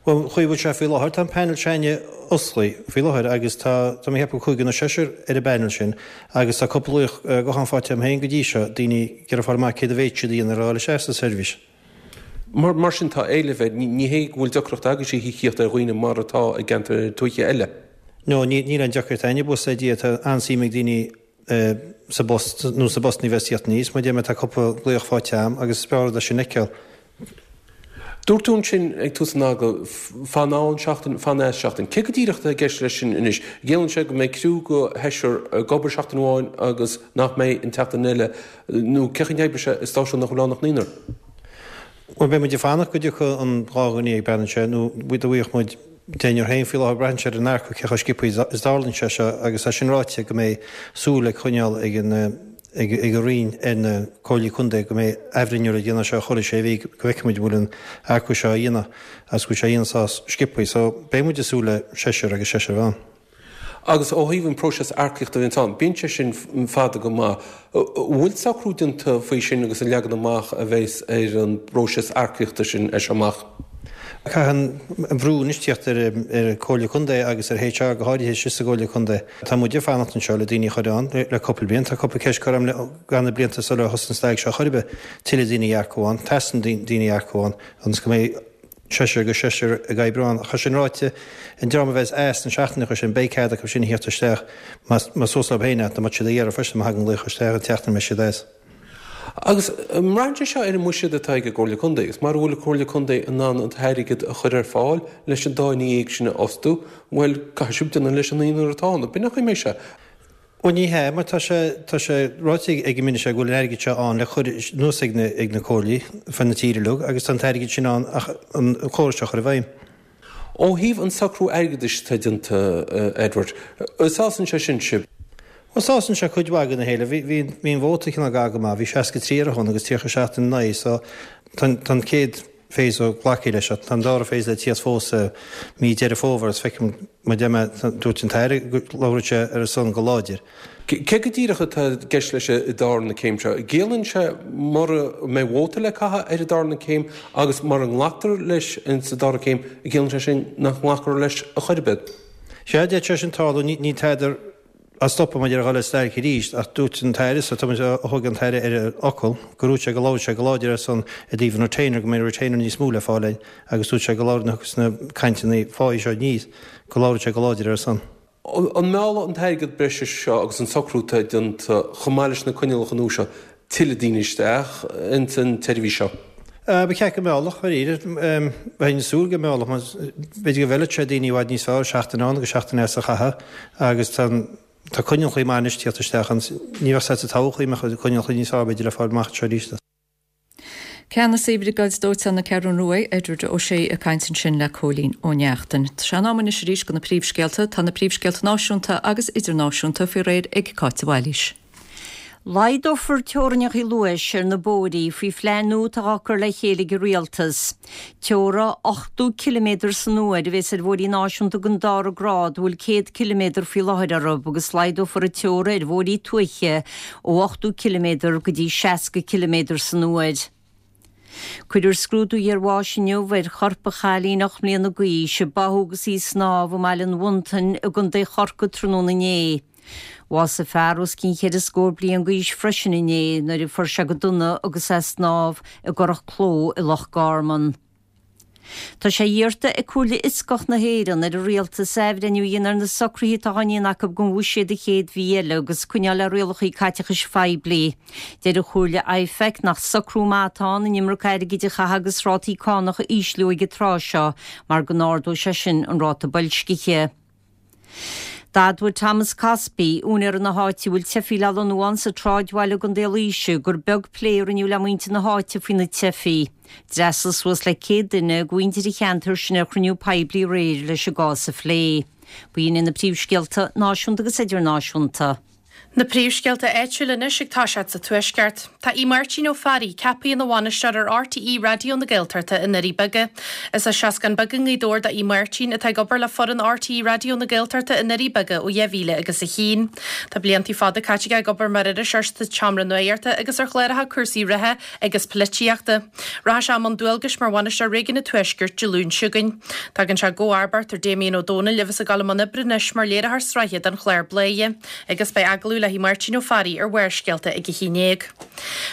Bhuel, an chaoi a bhfuil sé faoi láthair, tá an panel s'againne osclaithe faoi láthair agus tá, tá mé ag ceapadh cúigear nó seisear ar an bpanel sin agus tá cúpla glaoch gutháin faighte agam féin go dtí seo, daoine ag iarraidh fáil amach céard a bhféadfadh siad a dhéanamh ar dhul isteach sa seirbhís. Mar sin, tá éileamh air. Ní hé go bhfuil deacracht agaibhse a thíocht ar dhaoine mar atá i gceantair tuaithe eile. No, níl aon deacracht againne, buíochas le Dia, tá an-suim ag daoine sa bpost, nó sna postanna a bheas ag tíocht aníos. Mar a deir mé, tá cúpla glaoch faighte agam agus is breá rud é sin a fheiceáil. Dúirt tú ansin ag tús an agallaimh, fan ann seachtain, fan as seachtain. Cé go díreach atá i gceist leis sin anois? Ciallaíonn sé go mbeidh criú de sheisear ag obair seachtain amháin agus nach mbeidh an tseachtain eile Nó cé chaoi a n-oibreoidh sé i stáisiún nach bhfuil ann ach naonúr? Bhuel, beidh muid ag fanacht go dtiocfaidh an 12 dhuine, braitheann sé, nó dá bhfaigheadh muid deichniúr féin faoi láthair, braitheann sé ar an earcú cé chomh sciobtha is a tharlaíonn sé seo agus tá sin ráite go mbeidh súil ag coinneáil ag an ag an Roinn ar na Comhairlí Contae go mbeidh athbhreithniú le déanamh seo chuile sé mhí go bhfeicfidh muid an bhfuil an earcú seo á dhéanamh agus go bhfuil sé á dhéanamh sách sciobtha. So beidh muid ag súil le seisear agus seisear a bheith ann. Agus ó thaobh an próiseas earcaíochta a bhíonns ann, bíonn sé sin fada go maith. An bhfuil socrú déanta faoi sin agus an leagan amach a bheas ar an bpróiseas earcaíochta sin as seo amach? Caithfidh an brú anois tíocht ar an Comhairle Contae agus ar HR go háirithe istigh sa gComhairle Contae. Tá muid ag fanacht anseo le daoine a chur ann le cúpla bliain. Tá cúpla ceist curtha agam le na blianta sular thosaigh an stailc seo chor ar bith. Tuilleadh daoine a earcú ann. Teastaíonn daoine a earcú ann ionas go mbeidh seisear agus seisear ag oibriú ann. Ach é sin ráite, an dream a bheas as na seachtaineacha sin, beidh cead acu sin a thíocht isteach más suas leo féin é, dá mbeadh siad á iarraidh freisin má thagann glaoch isteach an tseachtain a mbeidh siad as. Agus an mbraitheann sé seo ar an mbuiséad atá ag an gComhairle Contae? Agus mara bhfuil an Comhairle Contae in ann an t-airgead a chur ar fáil leis an dá dhuine dhéag sin a fhostú, bhuel, caithfidh sibh déanamh leis an naonúr atá ann. B'in an chaoi a mbeidh sé. Bhuel ní hea, mar tá sé, tá sé ráite ag an Minister go bhfuil an airgead seo ann le cur anuas ag na, ag na comhairlí fud na tíre uilig agus tá an t-airgead sin ann ach an córas seo a chur i bhfeidhm. Ó thaobh an socrú airgeadais atá déanta, Edward, an sásann sé sin sibh? Bhuel sásann sé cuid mhaith de na héilimh. Bhí, bhí, bhí an vóta cineál gar go maith, bhí 63 ar a shon agus 37 ina aghaidh so tá an, tá an chéad phase glactha leis ach tá an dara phase le tíocht fós i mí Deireadh Fómhair agus feicim mar deir mé dúirt an tAire go labhróidh sé ar a son go láidir. Cé go díreach atá i gceist leis an darna céim seo? Ciallaíonn sé mura mbeidh vóta le caitheamh ar an darna céim agus mura nglactar leis sa dara céim, ciallaíonn sé sin nach nglacfar leis a chor ar bith? Sea, d'fhéadfadh sé sin tarlú. Níl tada á stopadh maidir le dhul ar stailc arís ach dúirt an tAire, so tá muid á thógáil an tAire ar a fhocal, go ndúirt sé go labhródh sé go láidir ar son i dtaobh an retainer, go mbeidh retainer níos mó le fáil againn agus dúirt sé go labhródh nuair a thiocfas na cainteanna pá seo aníos, go labhródh sé go láidir ar a son. An meallfaidh an t-airgead breise seo agus an socrú atá déanta, chomh maith leis na coinníollacha nua seo, tuilleadh daoine isteach ins an tseirbhís seo? Ba cheart go meallfadh, dáiríre. Bheinn ag súil go meallfadh, mar b'fhéidir go bhfeilfeadh sé daoine i bhfad níos fearr seachtain ann agus seachtain as a chaitheamh agus tá an. Tá coinníollacha maith anois tíocht isteach ann. Ní bheadh said sa todhchaí mbeadh coinníollacha níos fearr b'fhéidir le fáil amach anseo arís. Ceannasaí Bhriogáid Dóiteáin na Ceathrún Rua, Edward Ó Sé ag caint ansin le Cóilín Ó Neachtain. Tá sé in am anois arís do na príomhscéalta. Tá na príomhscéalta náisiúnta agus idirnáisiúnta faoi réir ag Cáit de Bhailís. Laghdófar teorainneacha luais ar na bóithrí faoi phlean nua atá á cur le chéile ag an Rialtas. Teora 80 ciliméadar san uair a bheas ar bhóithrí náisiúnta den dara grád a bhfuil 100 ciliméadar faoi láthair orthu agus laghdófar an teora ar bhóithrí tuaithe ó 80 ciliméadar go dtí 60 ciliméadar san uair. Cuirfear scrúdú iarbháis inniu ar chorp an chailín 8 mbliana d'aois a báthadh agus í ag snámh i mBaile an Mhontain i gContae Chorcaí tráthnóna inné. Bhásaigh fear os cionn cheithre scór bliain d'aois freisin inné nuair a fuair sé go dona agus é ag snámh i gCurrach Cló i Loch Garman. Tá sé iarrta ag Comhairle Fhioscach na hÉireann ar an Rialtas athbhreithniú a dhéanamh ar na socruithe atá á ndéanamh acu don bhuiséad an chéad mhí eile agus coinneáil le rialacha caiteachais phoiblí. Deir an Chomhairle IFAC nach socrú maith atá ann an iomarca airgid a chaitheamh agus rátaí cánach a ísliú ag an tráth seo mar go n-ardóidh sé sin an ráta boilscithe. D'admhaigh Thomas Cosby, úinéara na háite a bhfuil teifigh le lonnú ann sa tSráidbhaile i gContae Laoise, gur beag plé a rinneadh le muintir na háite faoi na teifigh. D'fhreastail suas le 100 duine de mhuintir an cheantair sin ar chruinniú poiblí aréir leis an gcás a phlé. B'in iad na príomhscéalta náisiúnta agus idirnáisiúnta. Na príomhscéalta áitiúla anois ag toiseacht sa Tuaisceart. Tá Aodh Máirtín Ó Fearraigh ceaptha ina bhainisteoir ar RTÉ Raidió na Gaeltachta i nDoirí Beaga. Is as Seascann Beag i nGaoth Dobhair do Aodh Máirtín, atá ag obair le foireann RTÉ Raidió na Gaeltachta i nDoirí Beaga ó 2000 agus a haon. Tá blianta fada caite aige ag obair mar iriseoir sa tseomra nuachta agus ar chláracha cúrsaí reatha agus polaitíochta. Rachaidh sé i mbun dualgais mar bhainisteoir Réigiún an Tuaiscirt Dé Luain seo chugainn. Tagann sé i gcomharbacht ar Damien Ó Dónaill a bheas ag dul i mbun oibre anois mar léiritheoir sraithe don chlár Bladhaire agus beidh agallamh le hAodh Máirtín Ó Fearraigh ar Bharrscéalta ag a 11.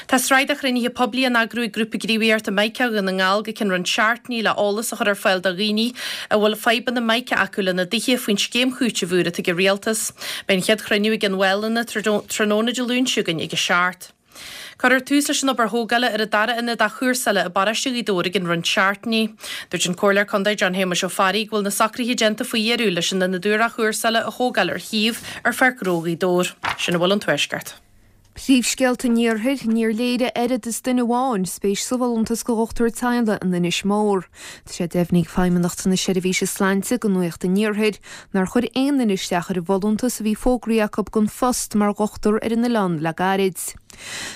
Tá sraith de chruinnithe poiblí á n-eagrú ag Grúpa Gníomhaíochta Mica Dhún na nGall go ceann roinnt seachtainí le eolas a chur ar fáil do dhaoine a bhfuil fadhbanna mica acu lena dtithe faoin scéim chúitimh úr atá ag an Rialtas. Beidh an chéad chruinniú i gCionn Mhálanna tráthnóna Dé Luain seo chugainn ag a 7. Cuirfear tús leis an obair thógála ar an dara ionad athchúrsála i bparóiste Ghaoth Dobhair i gcionn roinnt seachtainí. Dúirt an Comhairleoir Contae John Shéamuis Ó Fearraigh go bhfuil na socruithe déanta faoi dheireadh leis an ionad úr athchúrsála a thógáil ar shuíomh ar Pháirc Ghnó Ghaoth Dobhair. Sin a bhfuil ón Tuaisceart. Príomhscéalta an Iarthair, Níor léirigh oiread is duine amháin spéis sa bhfolúntas do dhochtúir teaghlaigh in Inis Mór. Tá sé deimhnithe ag Feidhmeannacht na Seirbhíse Sláinte do Nuacht an Iarthair nár chuir aon duine isteach ar an bhfolúntas a bhí fógraithe acu don phost mar dhochtúir ar an oileán le gairid.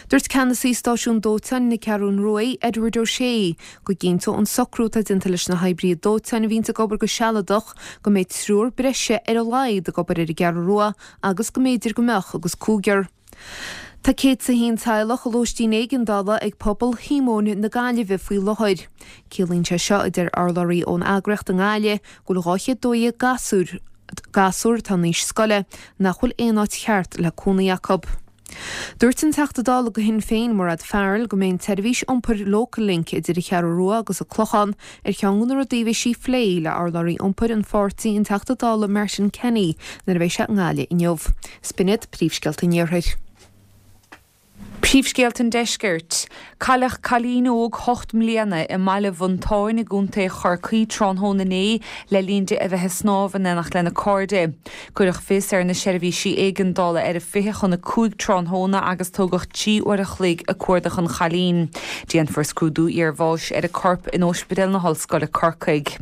Dúirt ceannasaí stáisiún dóiteáin na Ceathrún Rua, Edward O'Shea, go gcinnteoidh an socrú atá déanta leis na hoibrithe dóiteáin a bhíonns ag obair go sealadach go mbeidh triúr breise ar a laghad ag obair ar an gCeathrú Rua agus go mb'fhéidir go mbeadh agus cúigear. Tá 101 teaghlach i lóistín éigeandála ag Pobal Shíomóin na Gaillimhe faoi láthair. Ciallaíonn sé seo, a deir urlabhraí ón eagraíocht i nGaillimh, go bhfuil 212 gasúr, gasúr atá in aois scoile, nach bhfuil aon áit cheart le cónaí acu. Dúirt an Teachta Dála do Shinn Féin, Mairéad Farrell, go mbeidh an tseirbhís iompair Local Link idir an Cheathrú Rua agus an Clochán ar cheann de na rudaí a bheidh sí a phlé le urlabhraí iompair an pháirtí, an Teachta Dála Martin Kenny, nuair a bheidh sé i nGaillimh inniu. 'S b'in iad príomhscéalta an Iarthair. Príomhscéalta an Deiscirt. Cailleadh cailín óg 8 mbliana i mBaile Mhontáin i gContae Chorcaí tráthnóna inné le linn di a bheith ag snámh in éineacht lena cairde. Cuireadh fios ar na seirbhísí éigeandála ar a 4:40 tráthnóna agus tógadh 3 uair a chloig ag cuardach an chailín. Déanfar scrúdú iarbháis ar a corp in Óispidéal na hOllscoile Corcaigh.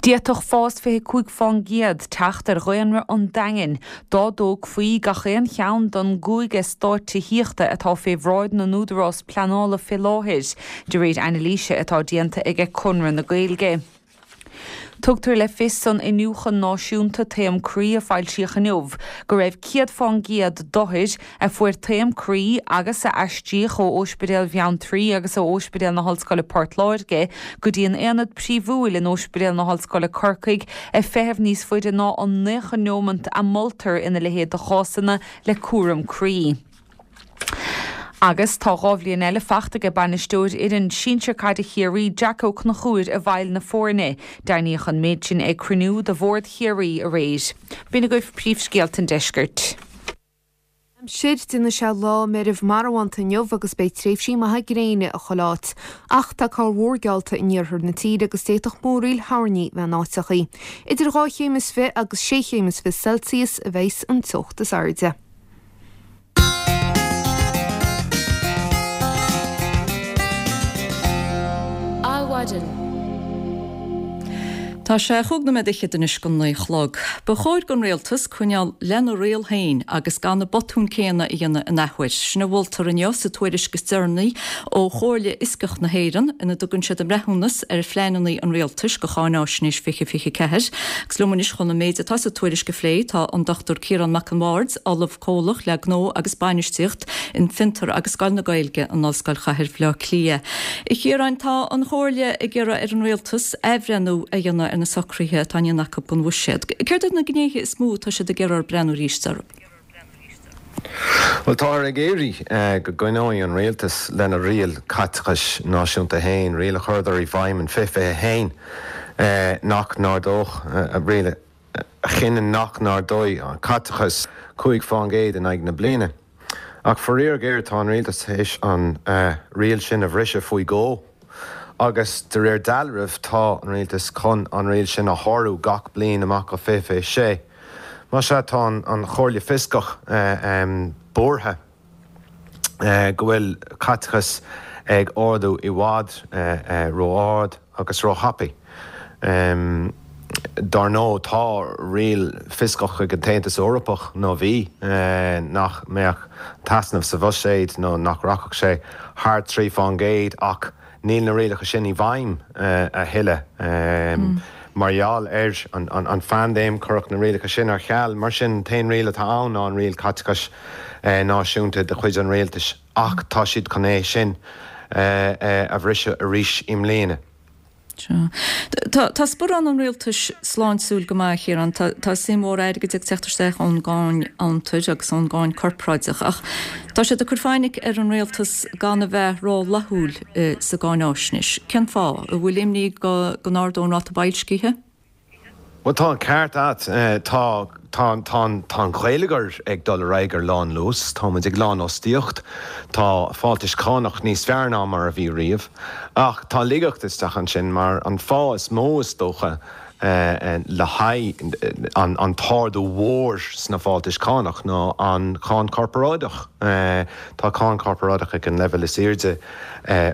D'fhéadfadh fás 25 fán gcéad teacht ar dhaonra an Daingin dá dtógfaí gach aon cheann den gcúig eastát tithíochta atá fé bhráid na n-údarás pleanála fé láthair, de réir anailíse atá déanta aige Conradh na Gaeilge. Tugtar le fios san Iniúchadh Náisiúnta Taom Croí a foilsíodh inniu go raibh 100 fán gcéad d'othair a fuair taom croí agus a aistríodh ó Óispidéal Bheanntraí agus ó Óispidéal na hOllscoile Port Láirge go dtí an Aonad Príomhúil in Óispidéal na hOllscoile Corcaigh ag feitheamh níos faide ná an 90 neomant a moltar ina leithéid de chásanna le cúram croí. Agus tá 2 bhliain eile fachta aige bainisteoir fhoireann sinsir caide Chiarraí, Jack Ó Conchúir i bhfeighil na foirne. Deimhníodh an méid sin ag cruinniú de Bhord Chiarraí aréir. B'in agaibh príomhscéalta an deiscirt. Aimsir, Déanfaidh sé lá meirbh marbhánta inniu agus beidh tréimhsí maithe gréine i chuile áit. Ach tá corrmhúr geallta in iarthar na tíre agus d'fhéadfadh múraíl thoirní bheith in áiteachaí. Idir 2 chéim is fi agus 6 chéim is fi Celsius a bheas an teocht is airde. Adhmhaidin. Tá sé chúig nóiméad fhichead anois go naoi a chlog. Ba chóir don Rialtas coinneáil lena riail féin agus gan na botúin céanna a dhéanamh in athuair. Sin a mholtar inniu sa tuairisc is deireanaí ó Chomhairle Fhioscach na hÉireann ina dtugann siad a mbreithiúnas ar phleananna an Rialtais do Cháináisnéis 2024. Agus liom anois chun an méid atá sa tuairisc a phlé tá an Dr Ciarán Mac an Bhaird, Ollamh Comhlach le Gnó agus Bainistíocht in Fiontar agus Scoil na Gaeilge in Ollscoil Chathair Bhaile Átha Cliath. A Chiaráin, tá an Chomhairle ag iarraidh ar an Rialtas athbhreithniú a dhéanamh ar na socruithe atá á ndéanamh acu don bhuiséad. Céard iad na gnéithe is mó atá siad ag iarraidh breathnú arís orthu? Bhuel, táthar ag iarraidh go gcoinneoidh an Rialtas lena riail caiteachais náisiúnta féin, riail a chuireadar i bhfeidhm in 2021 nach n-ardódh, riail a a chinneann nach n-ardóidh an caiteachas 5% in aghaidh na bliana. Ach faraor géar tá an rialtas théis an riail sin a bhriseadh faoi dhó agus de réir dealraimh tá an rialtas chun an riail sin a shárú gach bliain amach go 2026. Más ea tá an Chomhairle Fioscach buartha. go bhfuil caiteachas ag ardú i bhfad ró-ard agus ró-thapaidh. Dar ndóigh, tá riail fioscach ag an tAontas Eorpach, nó bhí, nach mbeadh t-easnamh sa bhuiséad nó nach rachadh sé thar 3% ach Níl na rialacha sin i bhfeidhm a thuilleadh. Mar gheall ar an phaindéim, cuireadh na rialacha sin ar ceal. Mar sin, an t-aon riail atá ann ná an riail caiteachais náisiúnta de chuid an rialtais, ach tá siad chun é sin a bhriseadh arís i mbliana. Tá tá sparán an rialtais sláintiúil go maith, a Chiaráin. Tá tá suim mhór airgid ag teacht isteach ón gcáin fhiontair agus ón gcáin corparáideach ach tá siad ag cur fainic ar an rialtas gan a bheith rófhlaithiúil sa gcáináisnéis. Cén fáth? An bhfuil imní go go n-ardódh an ráta boilscithe? Bhuel, tá an ceart a't. Tá, tá, tá an, tá an geilleagar ag dul ar aghaidh ar lánluas. Tá muid ag lánfhostaíocht. Tá fáltais chánach níos fearr ná mar a bhí riamh. Ach tá laigeacht isteach ansin mar an fáth is mó is dócha le haghaidh an, an t-ardú mhór sna fáltais chánach ná an cháin chorparáideach. Tá cáin chorparáideach ag an leibhéal is airde.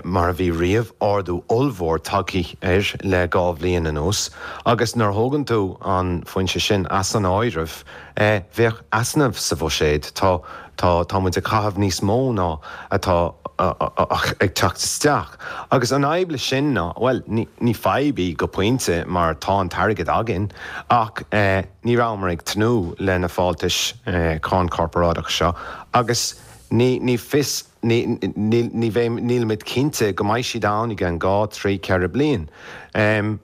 mar a bhí riamh, ardú ollmhór tagtha air le 2 bhliain anuas, agus nuair a thógann tú an foinse sin as an áireamh, bheadh easnamh sa bhuiséad. Tá, tá, tá muid ag caitheamh níos mó ná atá ag teacht isteach. Agus an fhadhb leis sin ná, bhuel, ní, ní fadhb í go pointe mar tá an t-airgead againn, ach ní rabhamar ag tnúth le na fáltais cáin chorparáideach seo agus ní, ní fios, Ní, ní bheidh, nílimid cinnte go mbeidh siad ann i gceann 2, 3, 4 bliain.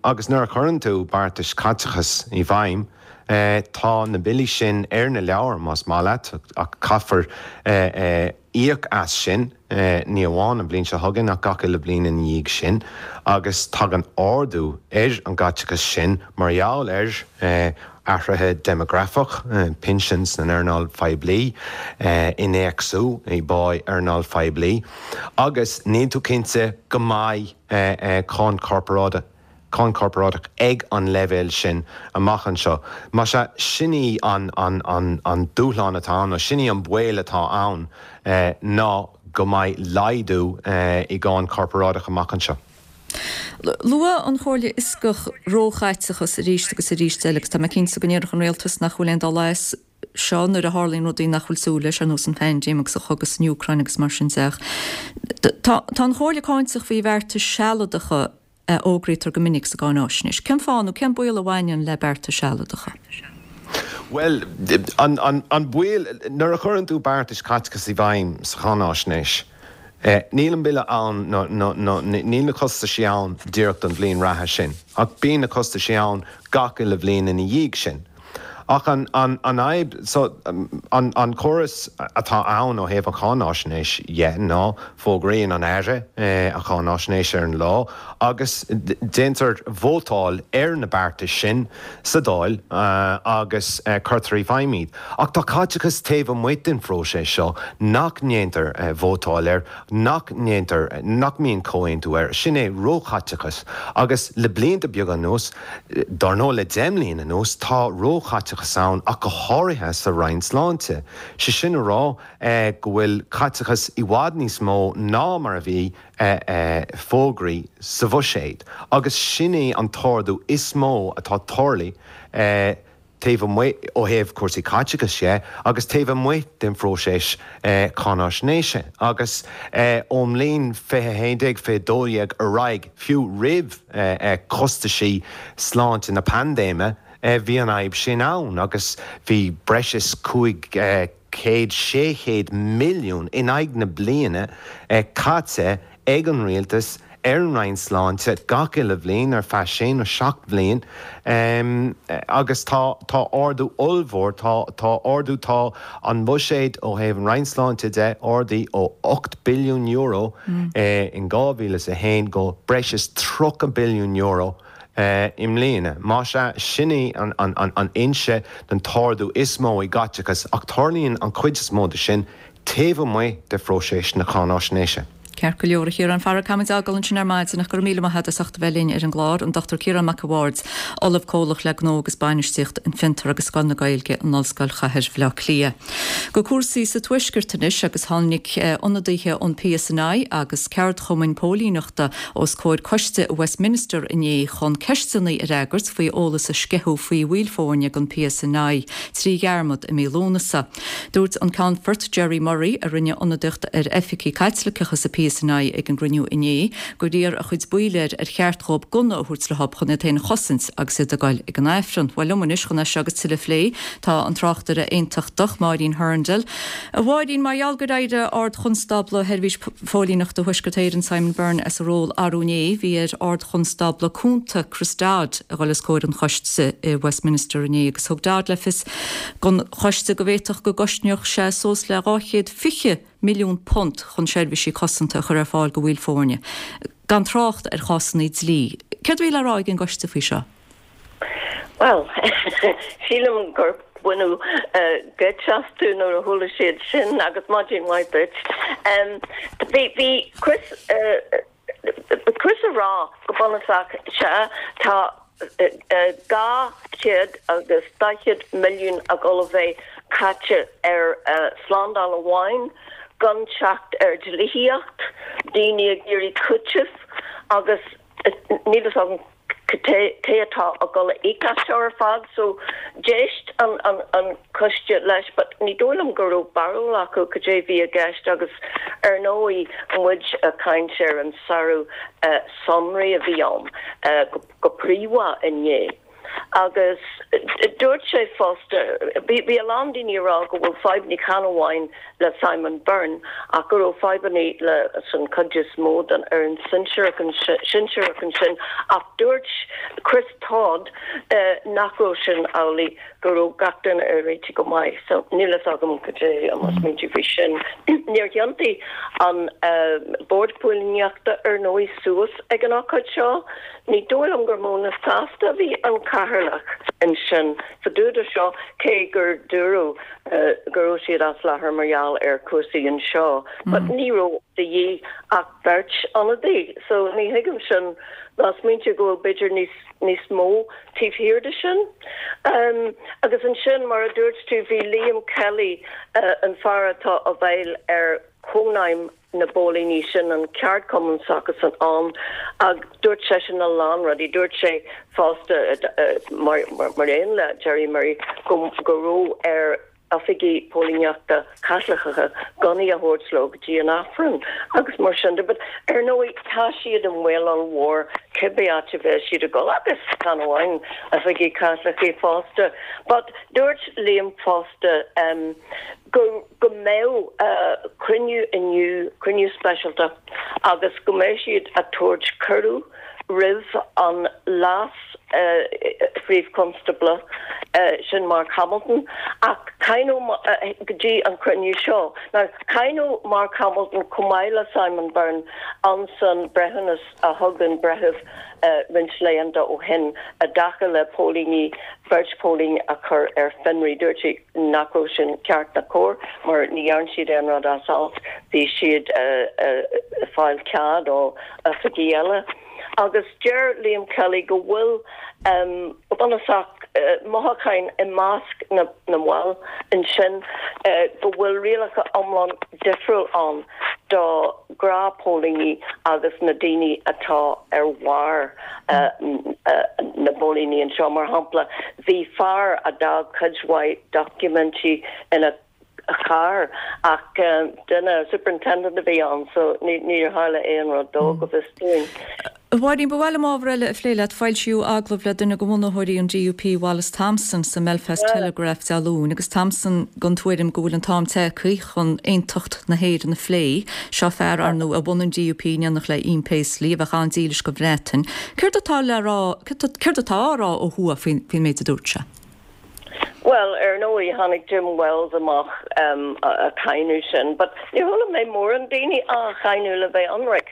Agus nuair a chuireann tú beartais caiteachais i bhfeidhm, tá na billí sin ar na leabhair, más maith leat, ach caithfear íoc as sin, ní amháin an bhliain seo chugainn ach gach uile bhliain ina dhiaidh sin. Agus tagann ardú ar an gcaiteachas sin mar gheall ar athruithe déimeagrafach, pinsin san earnáil phoiblí, innéacsú i bpá earnáil phoiblí, agus níl tú cinnte go mbeidh cáin chorparáideach cáin chorparáideach ag an leibhéal sin amach anseo. Más ea, sin í an an dúshlán atá ann, nó sin í an baol atá ann, ná go mbeidh laghdú i gcáin chorparáideach amach anseo. Luaigh an Chomhairle Fhioscach róchaiteachas arís agus arís eile agus tá mé cinnte go ndéarfadh an Rialtas nach bhfuil aon dul as seo nuair a tharlaíonn rudaí nach bhfuil súil leis, ar nós an phaindéim agus an chogadh san Úcráin agus mar sin de. Ach tá an Chomhairle cáinteach faoi bheartais sealadacha a fhógraítear go minic sa gcáináisnéis. Cén fáth nó cén baol a bhaineann le bearta sealadacha? Bhuel, an baol, nuair a chuireann tú beartais caiteachais i bhfeidhm sa cháináisnéis, Níl an bille ann nó níl na costaisí ann díreach don bhliain reatha sin, ach bíonn na costaisí ann gach uile bhliain ina dhiaidh sin. Ach an fhadhb, so, an córas atá ann ó thaobh an cháináisnéis dhe ná fógraíonn an Aire an cháináisnéis ar an lá agus déantar vótáil ar na beartais sin sa Dáil agus cuirtear i bhfeidhm iad. Ach tá caiteachas taobh amuigh den phróiseas seo nach ndéantar vótáil air, nach ndéantar, nach mbíonn comhaontú air, sin é róchaiteachas. Agus le blianta beaga anuas, Dár ndóigh, le 10 mbliana anuas, tá róchaiteachas ann ach go háirithe sa Roinn Sláinte. Sé sin a rá go bhfuil caiteachas i bhfad níos mó ná mar a bhí fógraithe sa bhuiséad agus sin é an t-ardú is mó atá tarlaithe taobh amuigh, ó thaobh cúrsaí caiteachais dhe, agus taobh amuigh den phróiseas cáináisnéise. Agus ón mbliain 2011, 2012 ar aghaidh, fiú roimh chostaisí sláinte na paindéime, bhí an fhadhb sin ann agus bhí breis is 500, 600 milliún in aghaidh na bliana caite ag an rialtas ar an Roinn Sláinte gach uile bhliain ar feadh sé nó seacht bhliain agus tá tá ardú ollmhór, tá tá ardú, tá an buiséad ó thaobh an Roinn Sláinte de ardaithe ó €8 billiún in 2001 go breis is €30 billiún i mbliana. Más ea, sin í an fhoinse den t-ardú is mó i gcaiteachas ach tarlaíonn an chuid is mó de sin taobh amuigh de phróiseas na cáináisnéise. Ceart go leor, a Chiaráin, fara caithfimid fhágáil ansin ar maidin ach go raibh míle maith agat as ucht a bheith linn ar an gclár, an Dr Ciarán Mac a' Bhaird, Ollamh Comhlach le Gnó agus Bainistíocht in Fiontar agus Scoil na Gaeilge in Ollscoil Chathair Bhaile Átha Cliath. Go cúrsaí sa Tuaisceart anois agus tháinig ionadaithe ón PSNI agus ceardchumainn póilíneachta os comhair coiste i Westminster inné chun ceisteanna a fhreagairt faoi eolas a sceitheadh faoi bhaill foirne den PSNI trí dhearmad i mí Lúnasa. Dúirt an Ceannfort Gerry Murray, a rinne ionadaíocht ar oifigigh Caitliceacha sa PSNI ag an gcruinniú inné, gur iarr a chuid baill air ar cheart dhóibh gunna a thabhairt leob chun iad féin a chosaint agus iad ag goil ag an Aifreann. Bhuel liom anois chun é seo agus tuilleadh a phlé tá an tráchtaire aontachtach Máirín Hurndall. A Mháirín, mar gheall gur éirigh Ard-Chonstábla Sheirbhís Phóilíneachta Thuaisceart Éireann Simon Byrne as a ról arú inné, bhí ar Ard-Chonstábla Cúnta Chris Dodd a dhul os comhair an choiste i Westminster inné agus thug Dodd le fios don choiste go bhféadfadh go gcosnódh sé suas le £220 milliún chun seirbhísí cosanta a chur ar fáil do bhaill foirne, gan trácht ar chásanna dlí. Céard a bhí le rá ag an gcoiste faoi seo? Bhuel, sílim gur baineadh geit astu nuair a chuala siad sin agus maidin mhaith duit. Bhí, bhí Chris, Chris ag rá go bunúsach, sea, tá 240 milliún ag dul a bheith caite ar slándáil amháin, gan teacht ar dlíthíocht, daoine ag iarraidh cúiteamh agus níl fhios agam cé atá ag dul a íoc as seo ar fad so d'éist an an coiste leis but ní dóigh liom go raibh barúil acu cad é bhí i gceist agus ar ndóigh muid ag caint ar an sárú sonraí a bhí ann go príomha inné. Agus dúirt sé fosta, bhí a lán daoine ag rá go bhfuil fadhbanna chan amháin le Simon Byrne ach go raibh fadhbanna leis an chuid is mó den fhoireann sinsearach ansin ach dúirt Chris Todd nach raibh sin amhlaidh, go raibh gach duine ag réiteach go maith. So níl fhios agam cad é mo smaointe faoi sin. Níor thiontaigh an Bord Póilíneachta ar ndóigh suas ag an ócáid seo. Ní dóigh liom gur mó na sásta a bhí an cathaoirleach ansin fá dtaobh de seo, cé gur dúradh go raibh siad as láthair mar gheall ar chúrsaí anseo. But ní raibh de dhíth ach beirt ionadaí, so ní thuigim sin ná smaointiú go bhfuil b'fhéidir níos níos mó taobh thiar de sin. Agus ansin, mar a dúirt tú, bhí Liam Kelly, an fear atá i bhfeighil ar Chónaidhm na bpóilíní sin, an ceardchumann s'acusan ann, ach dúirt seisean a lán rudaí. Dúirt sé fosta, mar aon le Gerry Murray, go raibh ar oifigigh póilíneachta Caitliceacha gunnaí a thabhairt leo go dtí an Aifreann agus mar sin de. But ar ndóigh tá siad i mbaol ollmhór cibé áit a bheas siad ag dul agus chan amháin oifigigh Caitliceacha fosta. But dúirt Liam fosta go go mbeadh cruinniú inniu, cruinniú speisialta, agus go mbeidh siad ag tabhairt cuireadh. roimh an Leas-Phríomh-Chonstábla, sin Mark Hamilton, ach cáineadh go dtí an cruinniú seo. Now, cáineadh Mark Hamilton chomh maith le Simon Byrne ansan breithiúnas a thug an breitheamh roinnt laethanta ó shin i dtaca le póilíní, beirt phóilín a chur ar fionraí. Dúirt sé nach raibh sin ceart ná cóir mar ní dhearn siad aon rud as alt, bhí siad ag fáil cead ó oifigí eile. Agus deir Liam Kelly go bhfuil go bunúsach mothúcháin i measc na mball ansin go bhfuil rialacha iomlán difriúil ann do ghnáthphóilíní agus na daoine atá ar bharr na bpóilíní anseo. Mar shampla, bhí fear a d'fhág cuid mhaith doiciméidí ina charr ach duine, superintendent a bhí ann so níor tharla aon rud dó go bhfios dúinn. A Mháirín, ba mhaith liom ábhar eile a phlé leat. Foilsíodh agallamh le duine de bhunaitheoirí an DUP, Wallace Thompson, sa mBelfast Telegraph Dé Luain agus Thompson den tuairim go bhfuil an t-am tagtha chun aontacht na hÉireann a phlé. Seo fear, ar ndóigh, a bhunaigh an DUP in éineacht le Ian Paisley, a bheadh an-dílis don Bhreatain. Céard atá le rá, céard atá á rá ó thuaidh faoin méid a dúirt sé? Bhuel, ar ndóigh, tháinig Jim Wells amach ag cáineadh sin, but níor chuala mé mórán daoine á cháineadh le bheith ionraic.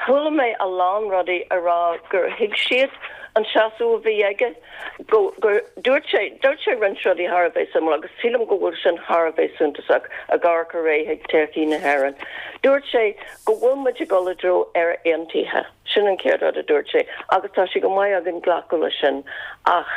Chuala mé a lán rudaí a rá gur thuig siad an seasamh a bhí aige, go, gur, dúirt sé, dúirt sé roinnt rudaí thar a bheith suimiúil agus sílim go bhfuil sin thar a bheith suntasach ag amharc ar aghaidh chuig todhchaí na hÉireann. Dúirt sé go bhfuil muid ag dul i dtreo Éire Aontaithe. Sin an chéad rud a dúirt sé agus tá sé go maith againn glacadh leis sin ach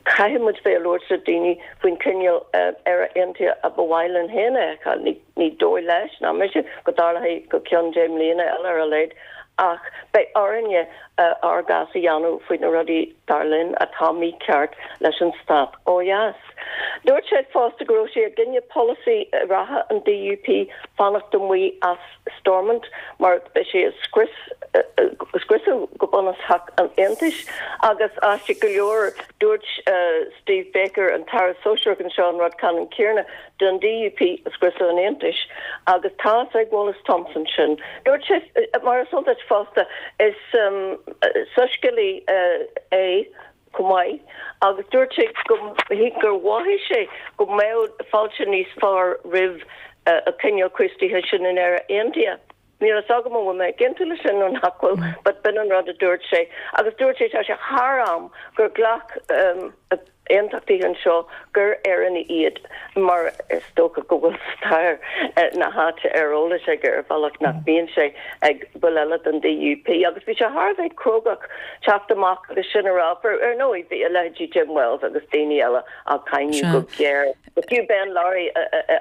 Caithfidh muid bheith ag labhairt le daoine faoin chineál Éire Aontaithe a ba mhaith linn féin a fheiceáil. Ní dóigh leis, ná mise, go dtarlóidh go ceann 10 mbliana eile ar a laghad, ach beidh orainne ár gcás a dhéanamh faoi na rudaí, dar linn, atá mícheart leis an stát ó dheas. Dúirt sé fosta go raibh sé i gcoinne polasaí reatha an DUP fanacht amuigh as Stormont mar beidh sé ag scrios, scriosadh go bunúsach an Aontais agus aisteach go leor dúirt Steve Baker, an tAire Sóisearach anseo an rud ceannann céanna don DUP scriosadh an Aontais agus tá a fhios ag Wallace Thompson sin. Dúirt sé, mar is eol duit fosta, is soiscéalaí é chomh maith agus dúirt sé go gur mhothaigh sé go mbeadh fáilte níos fearr roimh an cineál Críostaithe sin in Éire Aontaithe. Níl a fhios agam an bhfuil mé ag aontú leis sin nó nach bhfuil but b'in an rud a dúirt sé. Agus dúirt sé tá sé thar am gur ghlac aontachtaithe anseo gur Éireannaigh iad mar is dócha go bhfuil stair na háite ar eolas aige ar bhealach nach mbíonn sé ag baill eile den DUP. Agus bhí sé thar a bheith crógach teacht amach agus sin a rá. Ar ndóigh bhí a leithéidí Jim Wells agus daoine eile á cáineadh go géar. Fiú Ben Lowry,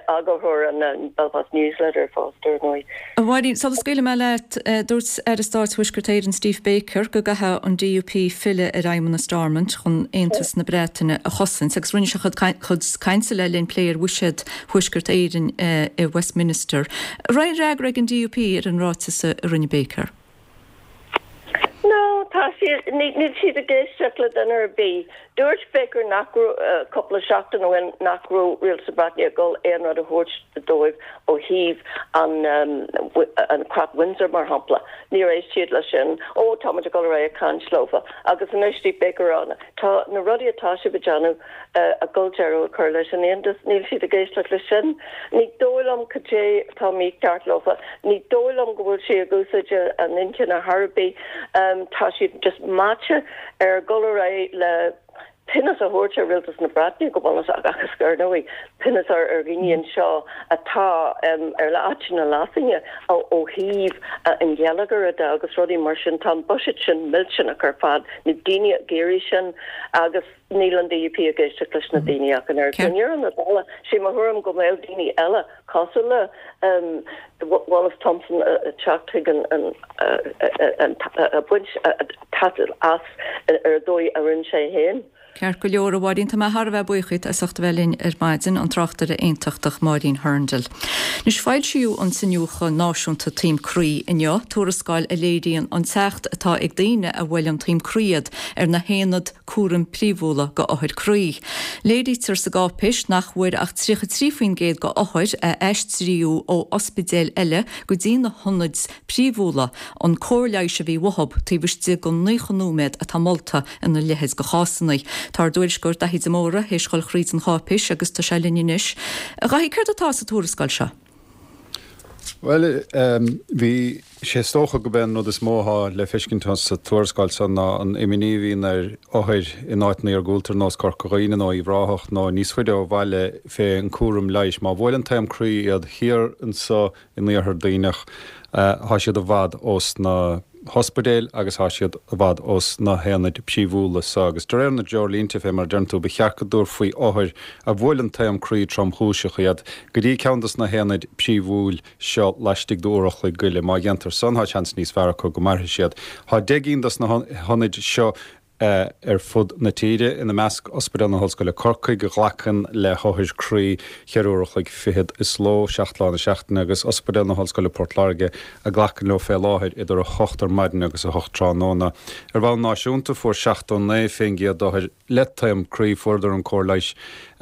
eagarthóir an Belfast News Letter fosta, ar ndóigh. A Mháirín, sula scaoilfidh mé leat, dúirt Aire Stáit Thuaisceart Éireann Steve Baker go gcaithfidh an DUP filleadh ar aidhmeanna Stormont chun aontas na Breataine a chosaint agus rinne sé a chuid cainte le linn plé ar bhuiséad Thuaisceart Éireann i Westminster. An raibh aon fhreagra ag an DUP ar an ráiteas a rinne Baker? No, tá siad, níl siad ag éisteacht le duine ar bith. Dúirt Baker nach raibh, cúpla seachtain ó shin, nach raibh Rialtas na Breataine ag dul aon rud a thabhairt dóibh ó thaobh an, an Creat Windsor, mar shampla. Níor éist siad leis sin. Ó, tá muid ag dul ar aghaidh ag caint leofa. Agus anois Steve Baker a rá, tá na rudaí atá sibh ag déanamh, ag dul deireadh a chur leis an Aontas. Níl siad ag éisteacht leis sin. Ní dóigh liom cad é atá mícheart leofa. Ní dóigh liom go bhfuil siad ag úsáid a n-inchinne thar ar bith. Tá siad just meáite ar dhul ar aghaidh le pionós a thabhairt ar Rialtas na Breataine go bunúsach agus ar ndóigh pionós ar dhaoine anseo atá ar áit na leasainne ó thaobh an gheilleagair de agus rudaí mar sin. Tá an buiséad sin millteanach ar fad. Níl daoine ag iarraidh sin agus. Níl an DUP ag éisteacht leis na daoine ach an oiread. I ndeireadh na dála, sé mo thuairim go mbeadh daoine eile cosúil le Wallace Thompson ag teacht chuig an ag baint taitneamh as ar an dóigh a rinne sé féin. Ceart go leor, a Mháirín, tá mé thar a bheith buíoch díot as ucht a bheith linn ar maidin, an tráchtaire aontachtach Máirín Hurndall. Anois, foilsíodh an tIniúchadh Náisiúnta Taom Croí inniu, tuarascáil a léiríonn an teacht atá ag daoine a bhuaileann taom croí iad ar na haonaid cúraim príomhúla go othair croí. Léirítear sa gcáipéis nach bhfuair ach 33% go othair a aistríodh ó ospidéil eile go dtí na hionaid príomhúla an cóir leighis a bhí uathub taobh istigh den 90 nóiméad atá molta ina leithéid de chásanna. Tá ár dtuairisceoir Daithí de Mórdha théis dhul thríd an cháipéis agus tá sé linn anois. A Dhaithí, céard atá sa tuarascáil seo? Bhuel, bhí sé is dócha go b'é an rud is mó atá le feiscint sa tuarascáil seo ná an imní a bhíonn ar othair in áiteanna iargúlta ar nós Corca Dhuibhne nó Uíbh Ráthach nó níos faide ó bhaile fé an cúram leighis. Má bhuaileann taom croí iad thiar anso in Iarthar Duibhneach, thá siad i bhfad ós na hospidéil agus thá siad i bhfad ós na haonaid príomhúla so agus de réir na dtreoirlínte, fé mar a deireann tú, ba cheart go dtabharfaí othair a bhuaileann taom croí tromchúiseach iad go dtí ceann dos na haonaid príomhúil seo laistigh d'uair a chloig goile. Má dhéantar san, thá seans níos fearr acu go mairfidh siad. Thá 10 gcinn dos na hionaid seo ar fud na tíre, ina measc Ospidéal na hOllscoile Corcaigh, a ghlacann le hothair croí cheithre uair a chloig fichead is ló, 7 lá na seachtaine, agus Ospidéal na hOllscoile Port Láirge, a ghlacann leo fé láthair idir 8 ar maidin agus 8 tráthnóna. Ar bhonn náisiúnta, fuair 79% d'othair le taom croí, fuaireadar an cóir leighis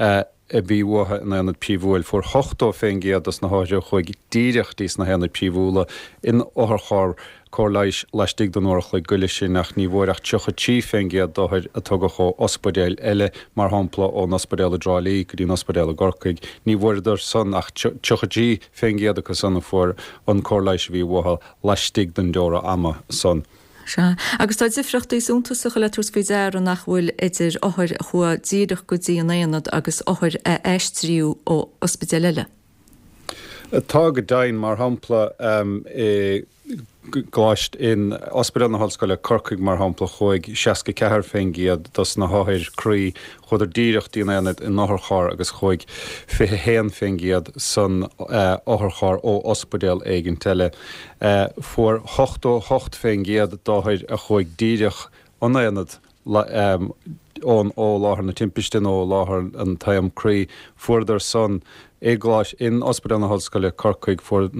a bhí uathu in aonad príomhúil. Fuair 80% dos na hothair a chuaigh díreach dtí sna haonaid príomhúla in otharcharr cóir leighis laistigh den uair a chloig goile sin ach ní bhfuair ach 33% d'othair a tugadh ó ospidéil eile, mar shampla ón ospidéal i dTrá Lí go dtí an ospidéal i gCorcaigh. Ní bhfuaireadar san ach 33% acu san a fuair an cóir leighis a bhí uathu laistigh den deora ama san. Sea. Agus tá difriochtaí suntasacha le tabhairt faoi deara nach bhfuil idir othair a chuaigh díreach go dtí an aonad agus othair a aistríodh ó ospidéal eile. Tá go deimhin. Mar shampla, i gColáiste, in Ospidéal na hOllscoile, Corcaigh, mar shampla, chuaigh 64% dos na hothair croí, chuadar díreach dtí an aonad in otharcharr agus chuaigh 21% san otharcharr ó ospidéal éigint eile. Fuair 88% d'othair a chuaigh díreach 'on aonad ón ó láthair na timpiste nó ó láthair an taom croí, fuaireadar san i gColáiste, in Ospidéal na hOllscoile, Corcaigh, fuair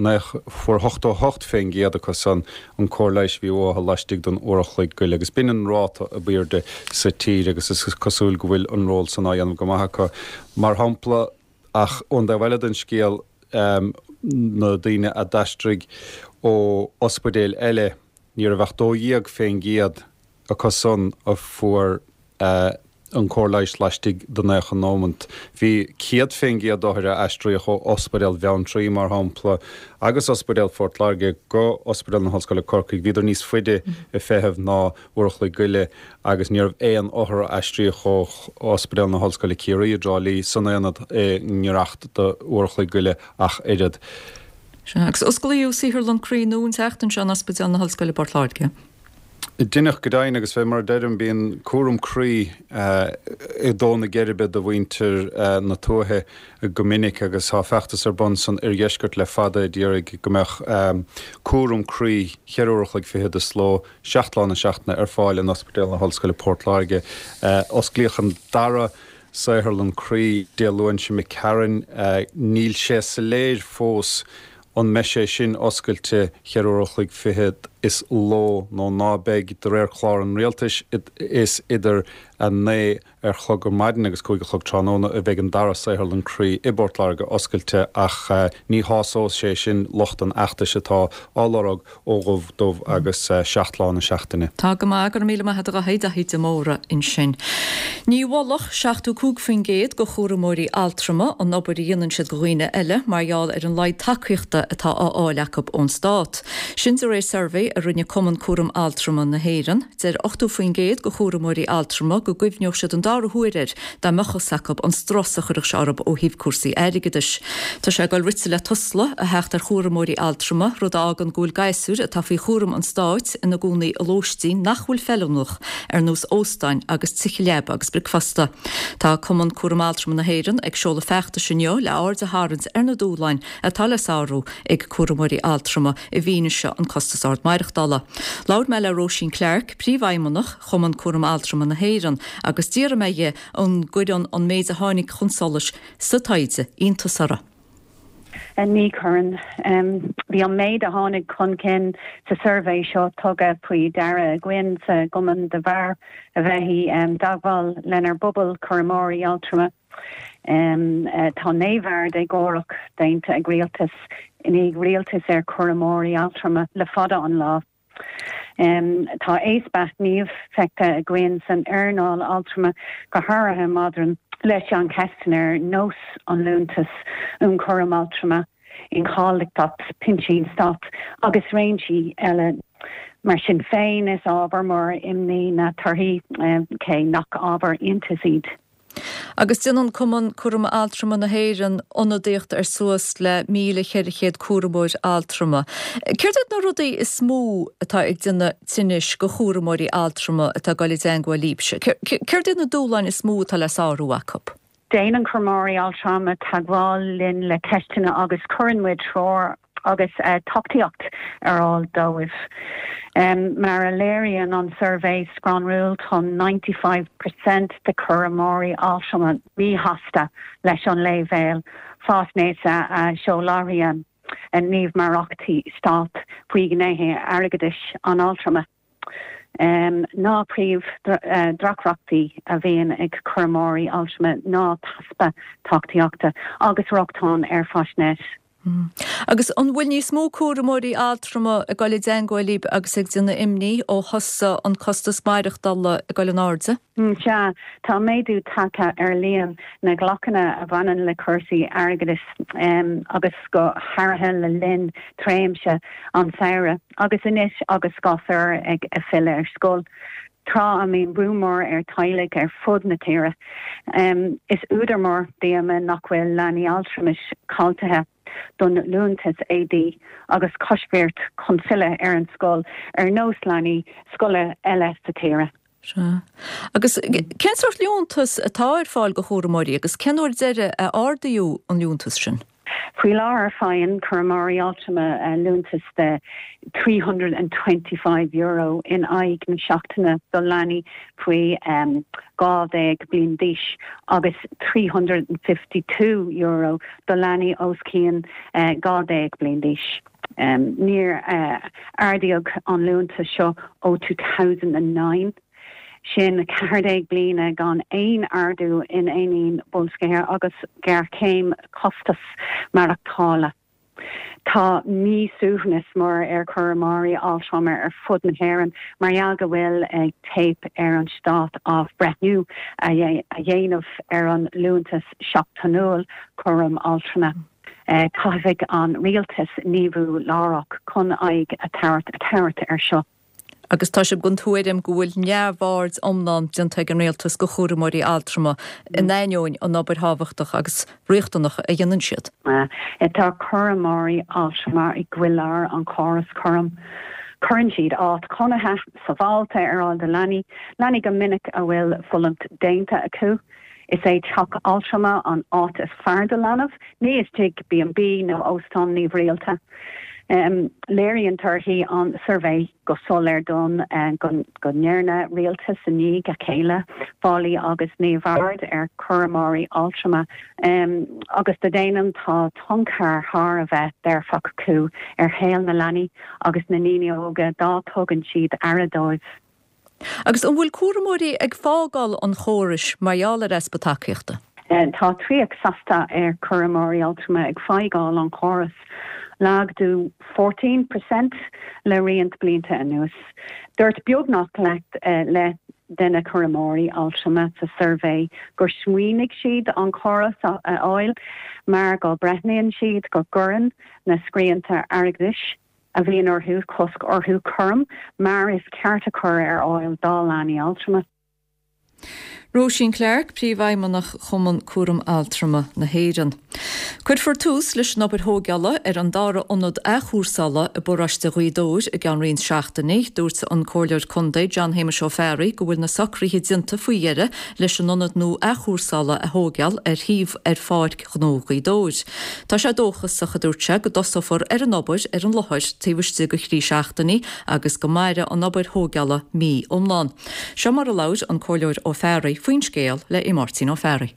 fuair 88% acu san an cóir leighis a bhí uathu laistigh den uair a chloig goile agus b'in an ráta ab aoirde sa tír agus is cosúil go bhfuil an ról san á dhéanamh go maith acu. Mar shampla, ach ón dtaobh eile den scéal, na daoine a d'aistrigh ó ospidéil eile, ní raibh ach 12% acu san a fuair an cóir leighis laistigh de 90 nóimeant. Bhí 100% d'othair a aistríodh ó Ospidéal Bheanntraí, mar shampla, agus Ospidéal Phort Láirge go Ospidéal na hOllscoile Corcaigh, bhíodar níos faide ag feitheamh ná uair a chloig goile agus ní raibh aon othar a aistríodh ó Ospidéal na hOllscoile Ciarraí i dTrá Lí san aonad i ngiorracht d'uair a chloig goile ach oiread. Sea, agus osclaíodh saotharlann croí nua an tseachtain seo in Ospidéal na hOllscoile Port Láirge. Deineadh go deimhin agus fé mar a deirim bíonn cúram croí ag dó na geirbe do mhuintir na tuaithe go minic agus tá feachtas ar bun san oirdheisceart le fada a d'iarraidh go mbeadh cúram croí cheithre uair a chloig fichead is ló, 7 lá na seachtaine ar fáil in Ospidéal na hOllscoile Port Láirge. Osclaíodh an dara saotharlann croí Dé Luain seo imigh tharainn. Níl sé soiléir fós An mbeidh sé sin oscailte cheithre uair a chloig fichead is ló nó ná beidh? De réir chlár an Rialtais, is idir 9 ar chlog ar maidin agus 5 a chlog tráthnóna a bheidh an dara saotharlann croí i bPort Láirge oscailte ach ní shásóidh sé sin lucht an fheachtais atá á lorg ó dhubh dubh agus 7 lá na seachtaine. Tá go maith, go raibh míle maith agat a Dhaithí, Daithí de Mórdha ansin. Ní mholfadh 75% de chúramóirí altrama an obair a dhéanann siad do dhaoine eile mar gheall ar an laghad tacaíochta atá á fháil acu ón stát. Sin de réir suirbhé a rinne Cumann Cúram Altrama na hÉireann. Deir 80% de chúramóirí altrama go gcuimhneodh siad an dara huair air dá mbeadh fhios acu an strus a chuirfeadh sé orthu ó thaobh cúrsaí airgeadais. Tá sé ag dul rite le Tusla a theacht ar chúramóirí altrama, rud a fhágann go bhfuil gasúir atá faoi chúram an stáit ina gcónaí i lóistín nach bhfuil feiliúnach, ar nós óstáin agus tithe leaba agus bricfeasta. Tá Cumann Cúram Altrama na hÉireann ag seoladh feachtais inniu le aird a tharraingt ar na dúshláin atá le sárú ag cúramóirí altrama i bhfianaise an costas ard maireachtála. maireachtála. Labhair mé le Róisín Clarke, Príomhfheidhmeannach Chumann Cúram Altrama na hÉireann, agus d'fhiafraigh mé dhi an gcuireann an méid a tháinig chun solais sa taighde iontas uirthi. Ní chuireann. Bhí an méid a tháinig chun cinn sa suirbhé seo tugtha faoi deara againn sa gCumann de bharr a bheith i dteagmháil lenár bpobal cúramóirí altrama. Tá neamhaird éagórach déanta ag rialtas i ndiaidh rialtais ar chúramóirí altrama le fada an lá. Tá easpa gnímh feicthe againn san earnáil altrama, go háirithe maidir leis an cheisteanna ar nós an Liúntas um Chúram Altrama, incháilitheacht pinsin stáit agus réimsí eile. Mar sin féin, is ábhar mór imní na torthaí, cé nach ábhar iontais iad. Agus déanann Cumann Cúram Altrama na hÉireann ionadaíocht ar suas le 1,400 cúramóir altrama. Céard iad na rudaí is mó atá ag déanamh tinnis go chúramóirí altrama atá ag dul i dteangmháil libhse? Céard iad na dúshláin is mó atá le sárú acu? Déanann cúramóirí altrama teagmháil linn le ceisteanna agus cuireann muid treoir agus tacaíocht ar fháil dóibh. Mar a léiríonn an suirbhé scanrúil, tá 95 percent de chúramóirí altrama míshásta leis an leibhéal faisnéise a sholáthraíonn gníomhaireachtaí stáit faoi ghnéithe airgeadais an altrama. Na príomh-dheacrachtaí a bhíonn ag cúramóirí altrama ná easpa tacaíochta agus rochtain ar faisnéis. Agus an bhfuil níos mó cúramóirí altrama ag dul i dteangmháil libh agus ag déanamh imní ó thosaigh an costas maireachtála ag dul in airde? Sea, tá méadú tagtha ar líon na nglaochanna a bhaineann le cúrsaí airgeadais agus go háirithe le linn tréimhse an tsamhraidh agus anois agus gasúir ag filleadh ar scoil, tráth a mbíonn brú mór ar teaghlaigh ar fud na tíre. Is údar mór díomá nach bhfuil leanaí altramais cáilithe don liúntas éadaí agus coisbhirt chun filleadh ar an scoil ar nós leanaí scoile eile sa tír. Sea. Agus cén sórt liúntas atá ar fáil go chúramóirí agus cén uair deiridh a ardaíodh an liúntas sin? Faoi láthair faigheann cúramóirí altrama liúntas de €325 in aghaidh na seachtaine do leanaí faoi 12 bliain d'aois agus €352 do leanaí os cionn 12 bliain d'aois. Níor ardaíodh an liúntas seo ó 2009. Sin 14 bliana gan aon ardú in ainneoin boilscithe agus géarchéim costas maireachtála. Tá míshuaimhneas mór ar chúramóirí altrama ar fud na hÉireann mar gheall go bhfuil ag teip ar an Stát athbhreithniú a dhéanamh ar an liúntas seachtainiúil cúram altrama. Caithfidh an Rialtas gníomhú láithreach chun aghaidh a thabhairt air seo. Agus tá sibh den tuairim go bhfuil neamhaird iomlán déanta ag an Rialtas go chúramóirí altrama in ainneoin an obair thábhachtach agus riachtanach a dhéanann siad. Tá cúramóirí altrama i gcroílár an chórais cúraim. Cuireann siad áit chónaithe sábháilte ar fháil do leanaí, leanaí go minic a bhfuil fulaingt déanta acu. Is é teach altrama an áit is fearr do leanbh, ní istigh B&B nó óstán neamhrialta. Léiríonn torthaí an tsuirbhé go soiléir dúinn go ndearna rialtais i ndiaidh a chéile faillí agus neamhaird ar chúramóirí altrama agus go deimhin tá tionchar thar a bheith dearfach acu ar shaol na leanaí agus na ndaoine óga dá dtugann siad aire dóibh. Agus an bhfuil cúramóirí ag fágáil an chórais mar gheall ar easpa tacaíochta? Tá 30 seasta ar chúramóirí altrama ag fágáil an chórais, laghdú 14 percent le roinnt blianta anuas. Dúirt beagnach leath de na cúramóirí altrama sa suirbhé gur smaoinigh siad an córas a fhágáil mar go mbreathnaíonn siad go gcuireann na srianta airgeadais a bhíonn orthu cosc orthu cúram mar is ceart a chur ar fháil dá leanaí altrama. Róisín Clarke, Príomhfheidhmeannach Chumann Cúram Altrama na hÉireann. Cuirfear tús leis an obair thóigeála ar an dara ionad athchúrsála i bparóiste Ghaoth Dobhair i gceann roinnt seachtainí. Dúirt an Comhairleoir Contae John Shéamuis Ó Fearraigh go bhfuil na socruithe déanta faoi dheireadh leis an ionad nua athchúrsála a thóigeáil ar shuíomh ar Pháirc Ghnó Ghaoth Dobhair. Tá sé dóchasach, a dúirt sé, go dtosófar ar an obair ar an láthair taobh istigh de thrí seachtainí agus go mairfidh an obair thóigeála mí iomlán. Seo mar a labhair an Comhairleoir Ó Fearraigh faoin scéal le Máirtín Ó Fearraigh.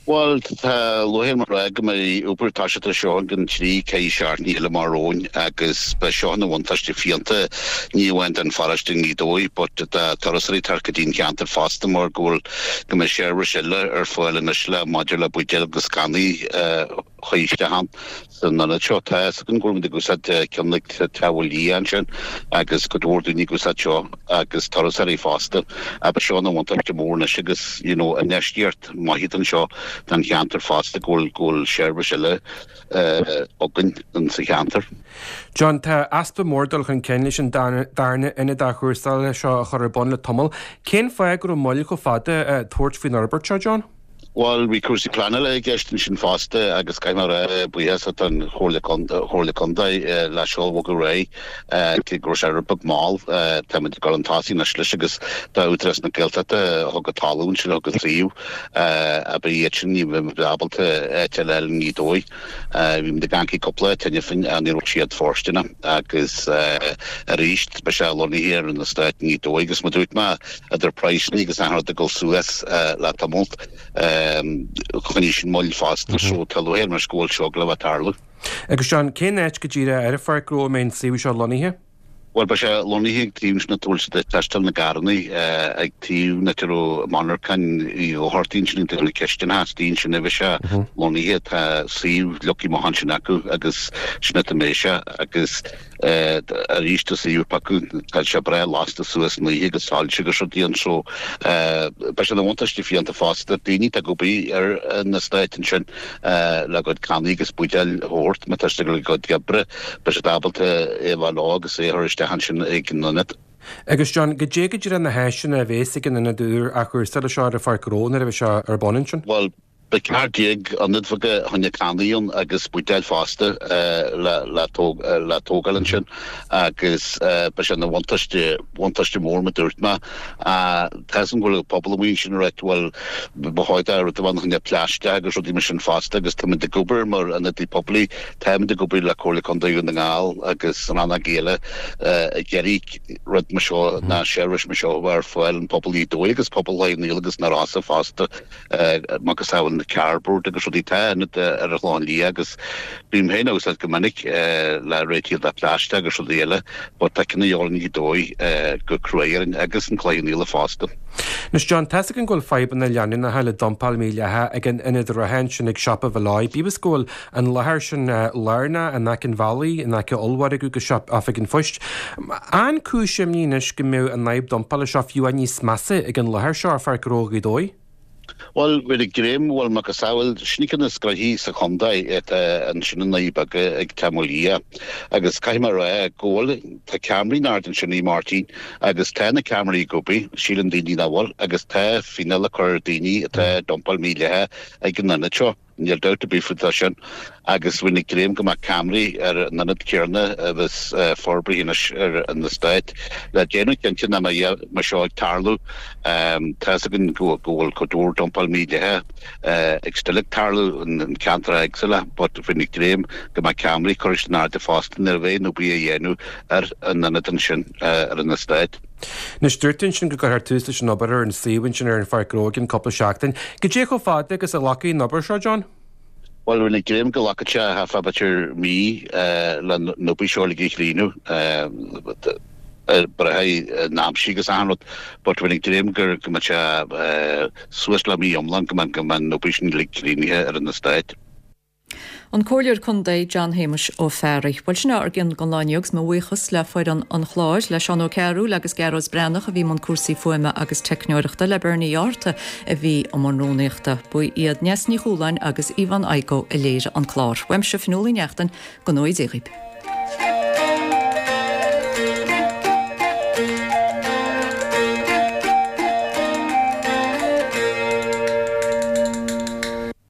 Bhuel, tá lúcháir orm a rá go mbeidh obair ag toiseacht ar seo i gcionn trí, ceithre seachtainí eile amach romhainn agus beidh seo ina bhuntáiste fiúntach ní amháin don pharóiste i nGaoth Dobhair but do turasóirí teacht go dtí an cheantar fosta mar go bhfuil go mbeidh seirbhís eile ar fáil anois le maidir le buidéil agus cannaí a chur isteach ann san ionad seo. Tá fhios againn go bhfuil muid ag úsáid ceann ag Teach Mhaoil Liath ansin agus cuid mhór daoine ag úsáid seo agus turasóirí fosta. Beidh seo ina bhuntáiste mór anois agus you know infheistíocht maith anseo don cheantar fosta go bhfuil go bhfuil seirbhís eile againn sa cheantar. John, tá easpa mór dul chun cinn leis an darna ionad athchúrsála seo a chur ar bun le tamall. Cén fáth go raibh moill chomh fada tabhairt faoin fhorbairt seo, John? Bhuel, bhí cúrsaí pleanála i gceist ansin fosta agus caithfidh mé a rá, buíochas don Chomhairle Contae le seo a bhogadh ar aghaidh, cé go raibh sé rud beag mall, táimid ag dul chun tosaigh anois leis agus tá Údarás na Gaeltachta a thug an talamh ansin, a thug an suíomh, ab iad sin, ní bheadh muid ábalta áit eile a fháil i nGaoth Dobhair. Bhí muid ag amharc ag cúpla áit cheana féin ach ní raibh siad fóirsteanach agus arís beidh sé lonnaithe ar an eastát i nGaoth Dobhair agus mar dúirt mé idir praghsanna agus achan rud ag dul suas le tamall choinnigh sin moill fosta so tá lúcháir orm anois go bhfuil seo ag gabháil a bheith ag tarlú. Agus John, cén áit go díreach ar an pháirc ghnó a mbeidh an suíomh seo lonnaithe? Bhuel, beidh sé lonnaithe ag taobh ansin áit a bhfuil siad ag teisteáil na gcarrannaí, ag taobh an áit a raibh monarchain Uí Dhochartaigh ansin ag taobh na cistineacha, istigh ansin a bheidh sé lonnaithe. Tá suíomh leagtha amach ansin acu agus sin áit a mbeidh sé agus arís tá suíomh acu, tá sé breá lasta suas san oíche agus soilse agus rudaí ann so beidh sé ina bhuntáiste fiúntach fosta. Daoine atá ag obair ar an eastát ansin le a gcuid cannaí agus buidéil a thabhairt má tá siad ag dul a gcuid oibre. Beidh siad ábalta é a bheith leo agus é a chur isteach ansin ag an ionad. Agus John, goidé go díreach na háiseanna a bhéas ag an ionad úr athchúrsála seo ar an pháirc ghnó nuair a bheidh sé ar bun ansin? Bhuel, beidh 14 ionad bheaga fá choinne cannaí ann agus buidéil fosta le tógáil ansin agus beidh sé ina bhuntáiste, bhuntáiste mór mar dúirt mé. Tá fhios agam go bhfuil an pobal amuigh ansin ag ráit bhuel ba chóir do rud a bheith ann fá choinne plaisteach agus rudaí mar sin fosta agus táimid ag obair mar ionadaí poiblí, táimid ag obair le Comhairle Contae Dhún na nGall agus rannógaí eile ag iarraidh rud mar seo ná seirbhís mar seo a bheith ar fáil an pobal Ghaoth Dobhair agus pobal Chloich Cheann Fhaola agus na Rosa fosta. Macasamhail na cardboard agus rudaí tá ionad ar an Chlochán Liath agus bím féin á úsáid go minic le réitigh le plaisteach agus rudaí eile but tá ceann de dhíobháil i nGaoth Dobhair go cruaidh orainn agus an Cloich Cheann Fhaola fosta. Anois John, tá's againn go bhfuil fadhbanna leanúnacha le dumpáil mhídhleathach ag an ionad reatha ansin ag Siopa Mhic Leoid, bíodh is go bhfuil an láthair sin lárnach in aice an bhealaigh, in aice ollmhargadh agus siopa Oifig an Phoist. An cúis imní anois go mbeadh an fhadhb dumpála seo fiú níos measa ag an láthair seo ar Pháirc Ghnó Ghaoth Dobhair? Bhuel, bhí ag greim, bhuel, macasamhail, sin ceann de na gnoithí sa chontae atá ansin i nDoirí Beaga ag Teach Mhaoil Liath agus caithfidh mé a rá go bhfuil, tá ceamaraí in airde ansin a Mháirtín agus tá na ceamaraí ag obair, síleann daoine nach bhfuil, agus tá fíneáil á cur ar daoine atá ag dumpáil mídhleathach ag an ionad seo. Níl dabht ar bith faoi sin agus bheinn ag dréim go mbeadh ceamaraí ar an ionad céanna a bheas forbraithe anois ar an eastát le déanamh cinnte nach mbeidh mar seo ag tarlú. Tá fhios againn go bhfuil cuid mhór dumpáil mídhleathach ag still ag tarlú in ceantair éagsúla but bheinn ag dréim go mbeadh ceamaraí curtha in airde fosta nuair a bheidh an obair á dhéanamh ar an ionad ansin ar an eastát. Anois, dúirt tú ansin go gcuirfear tús leis an obair ar an suíomh ansin ar an Pháirc Ghnó i gcionn cúpla seachtain. Goidé chomh fada agus a ghlacfaidh an obair seo, John? Bhuel, bheinn ag dréim go nglacfaidh sé thart fá b'fhéidir mí le an obair seo uilig a chríochnú, braithfidh an aimsir agus achan rud, but bheinn ag dréim go mbeidh sé suas le mí iomlán go mbeidh an obair sin uilig críochnaithe ar an eastát. An Comhairleoir Contae John Shéamuis Ó Fearraigh. Bhuel sin ár gcion don lá inniu agus mo bhuíochas le foireann an chláir, le Seán Ó Cearúil agus Gearóid Breathnach a bhí i mbun cúrsaí fuaime agus teicneoireachta, le Bernie Ó Fhátharta a bhí i mbun rúnaíochta. Ba iad Neasa Ní Chualáin agus Yvonne Igoe a léirigh an clár. Uaimse Fionnuala Ní Neachtain, go ngnóthaí Dia dhaoibh.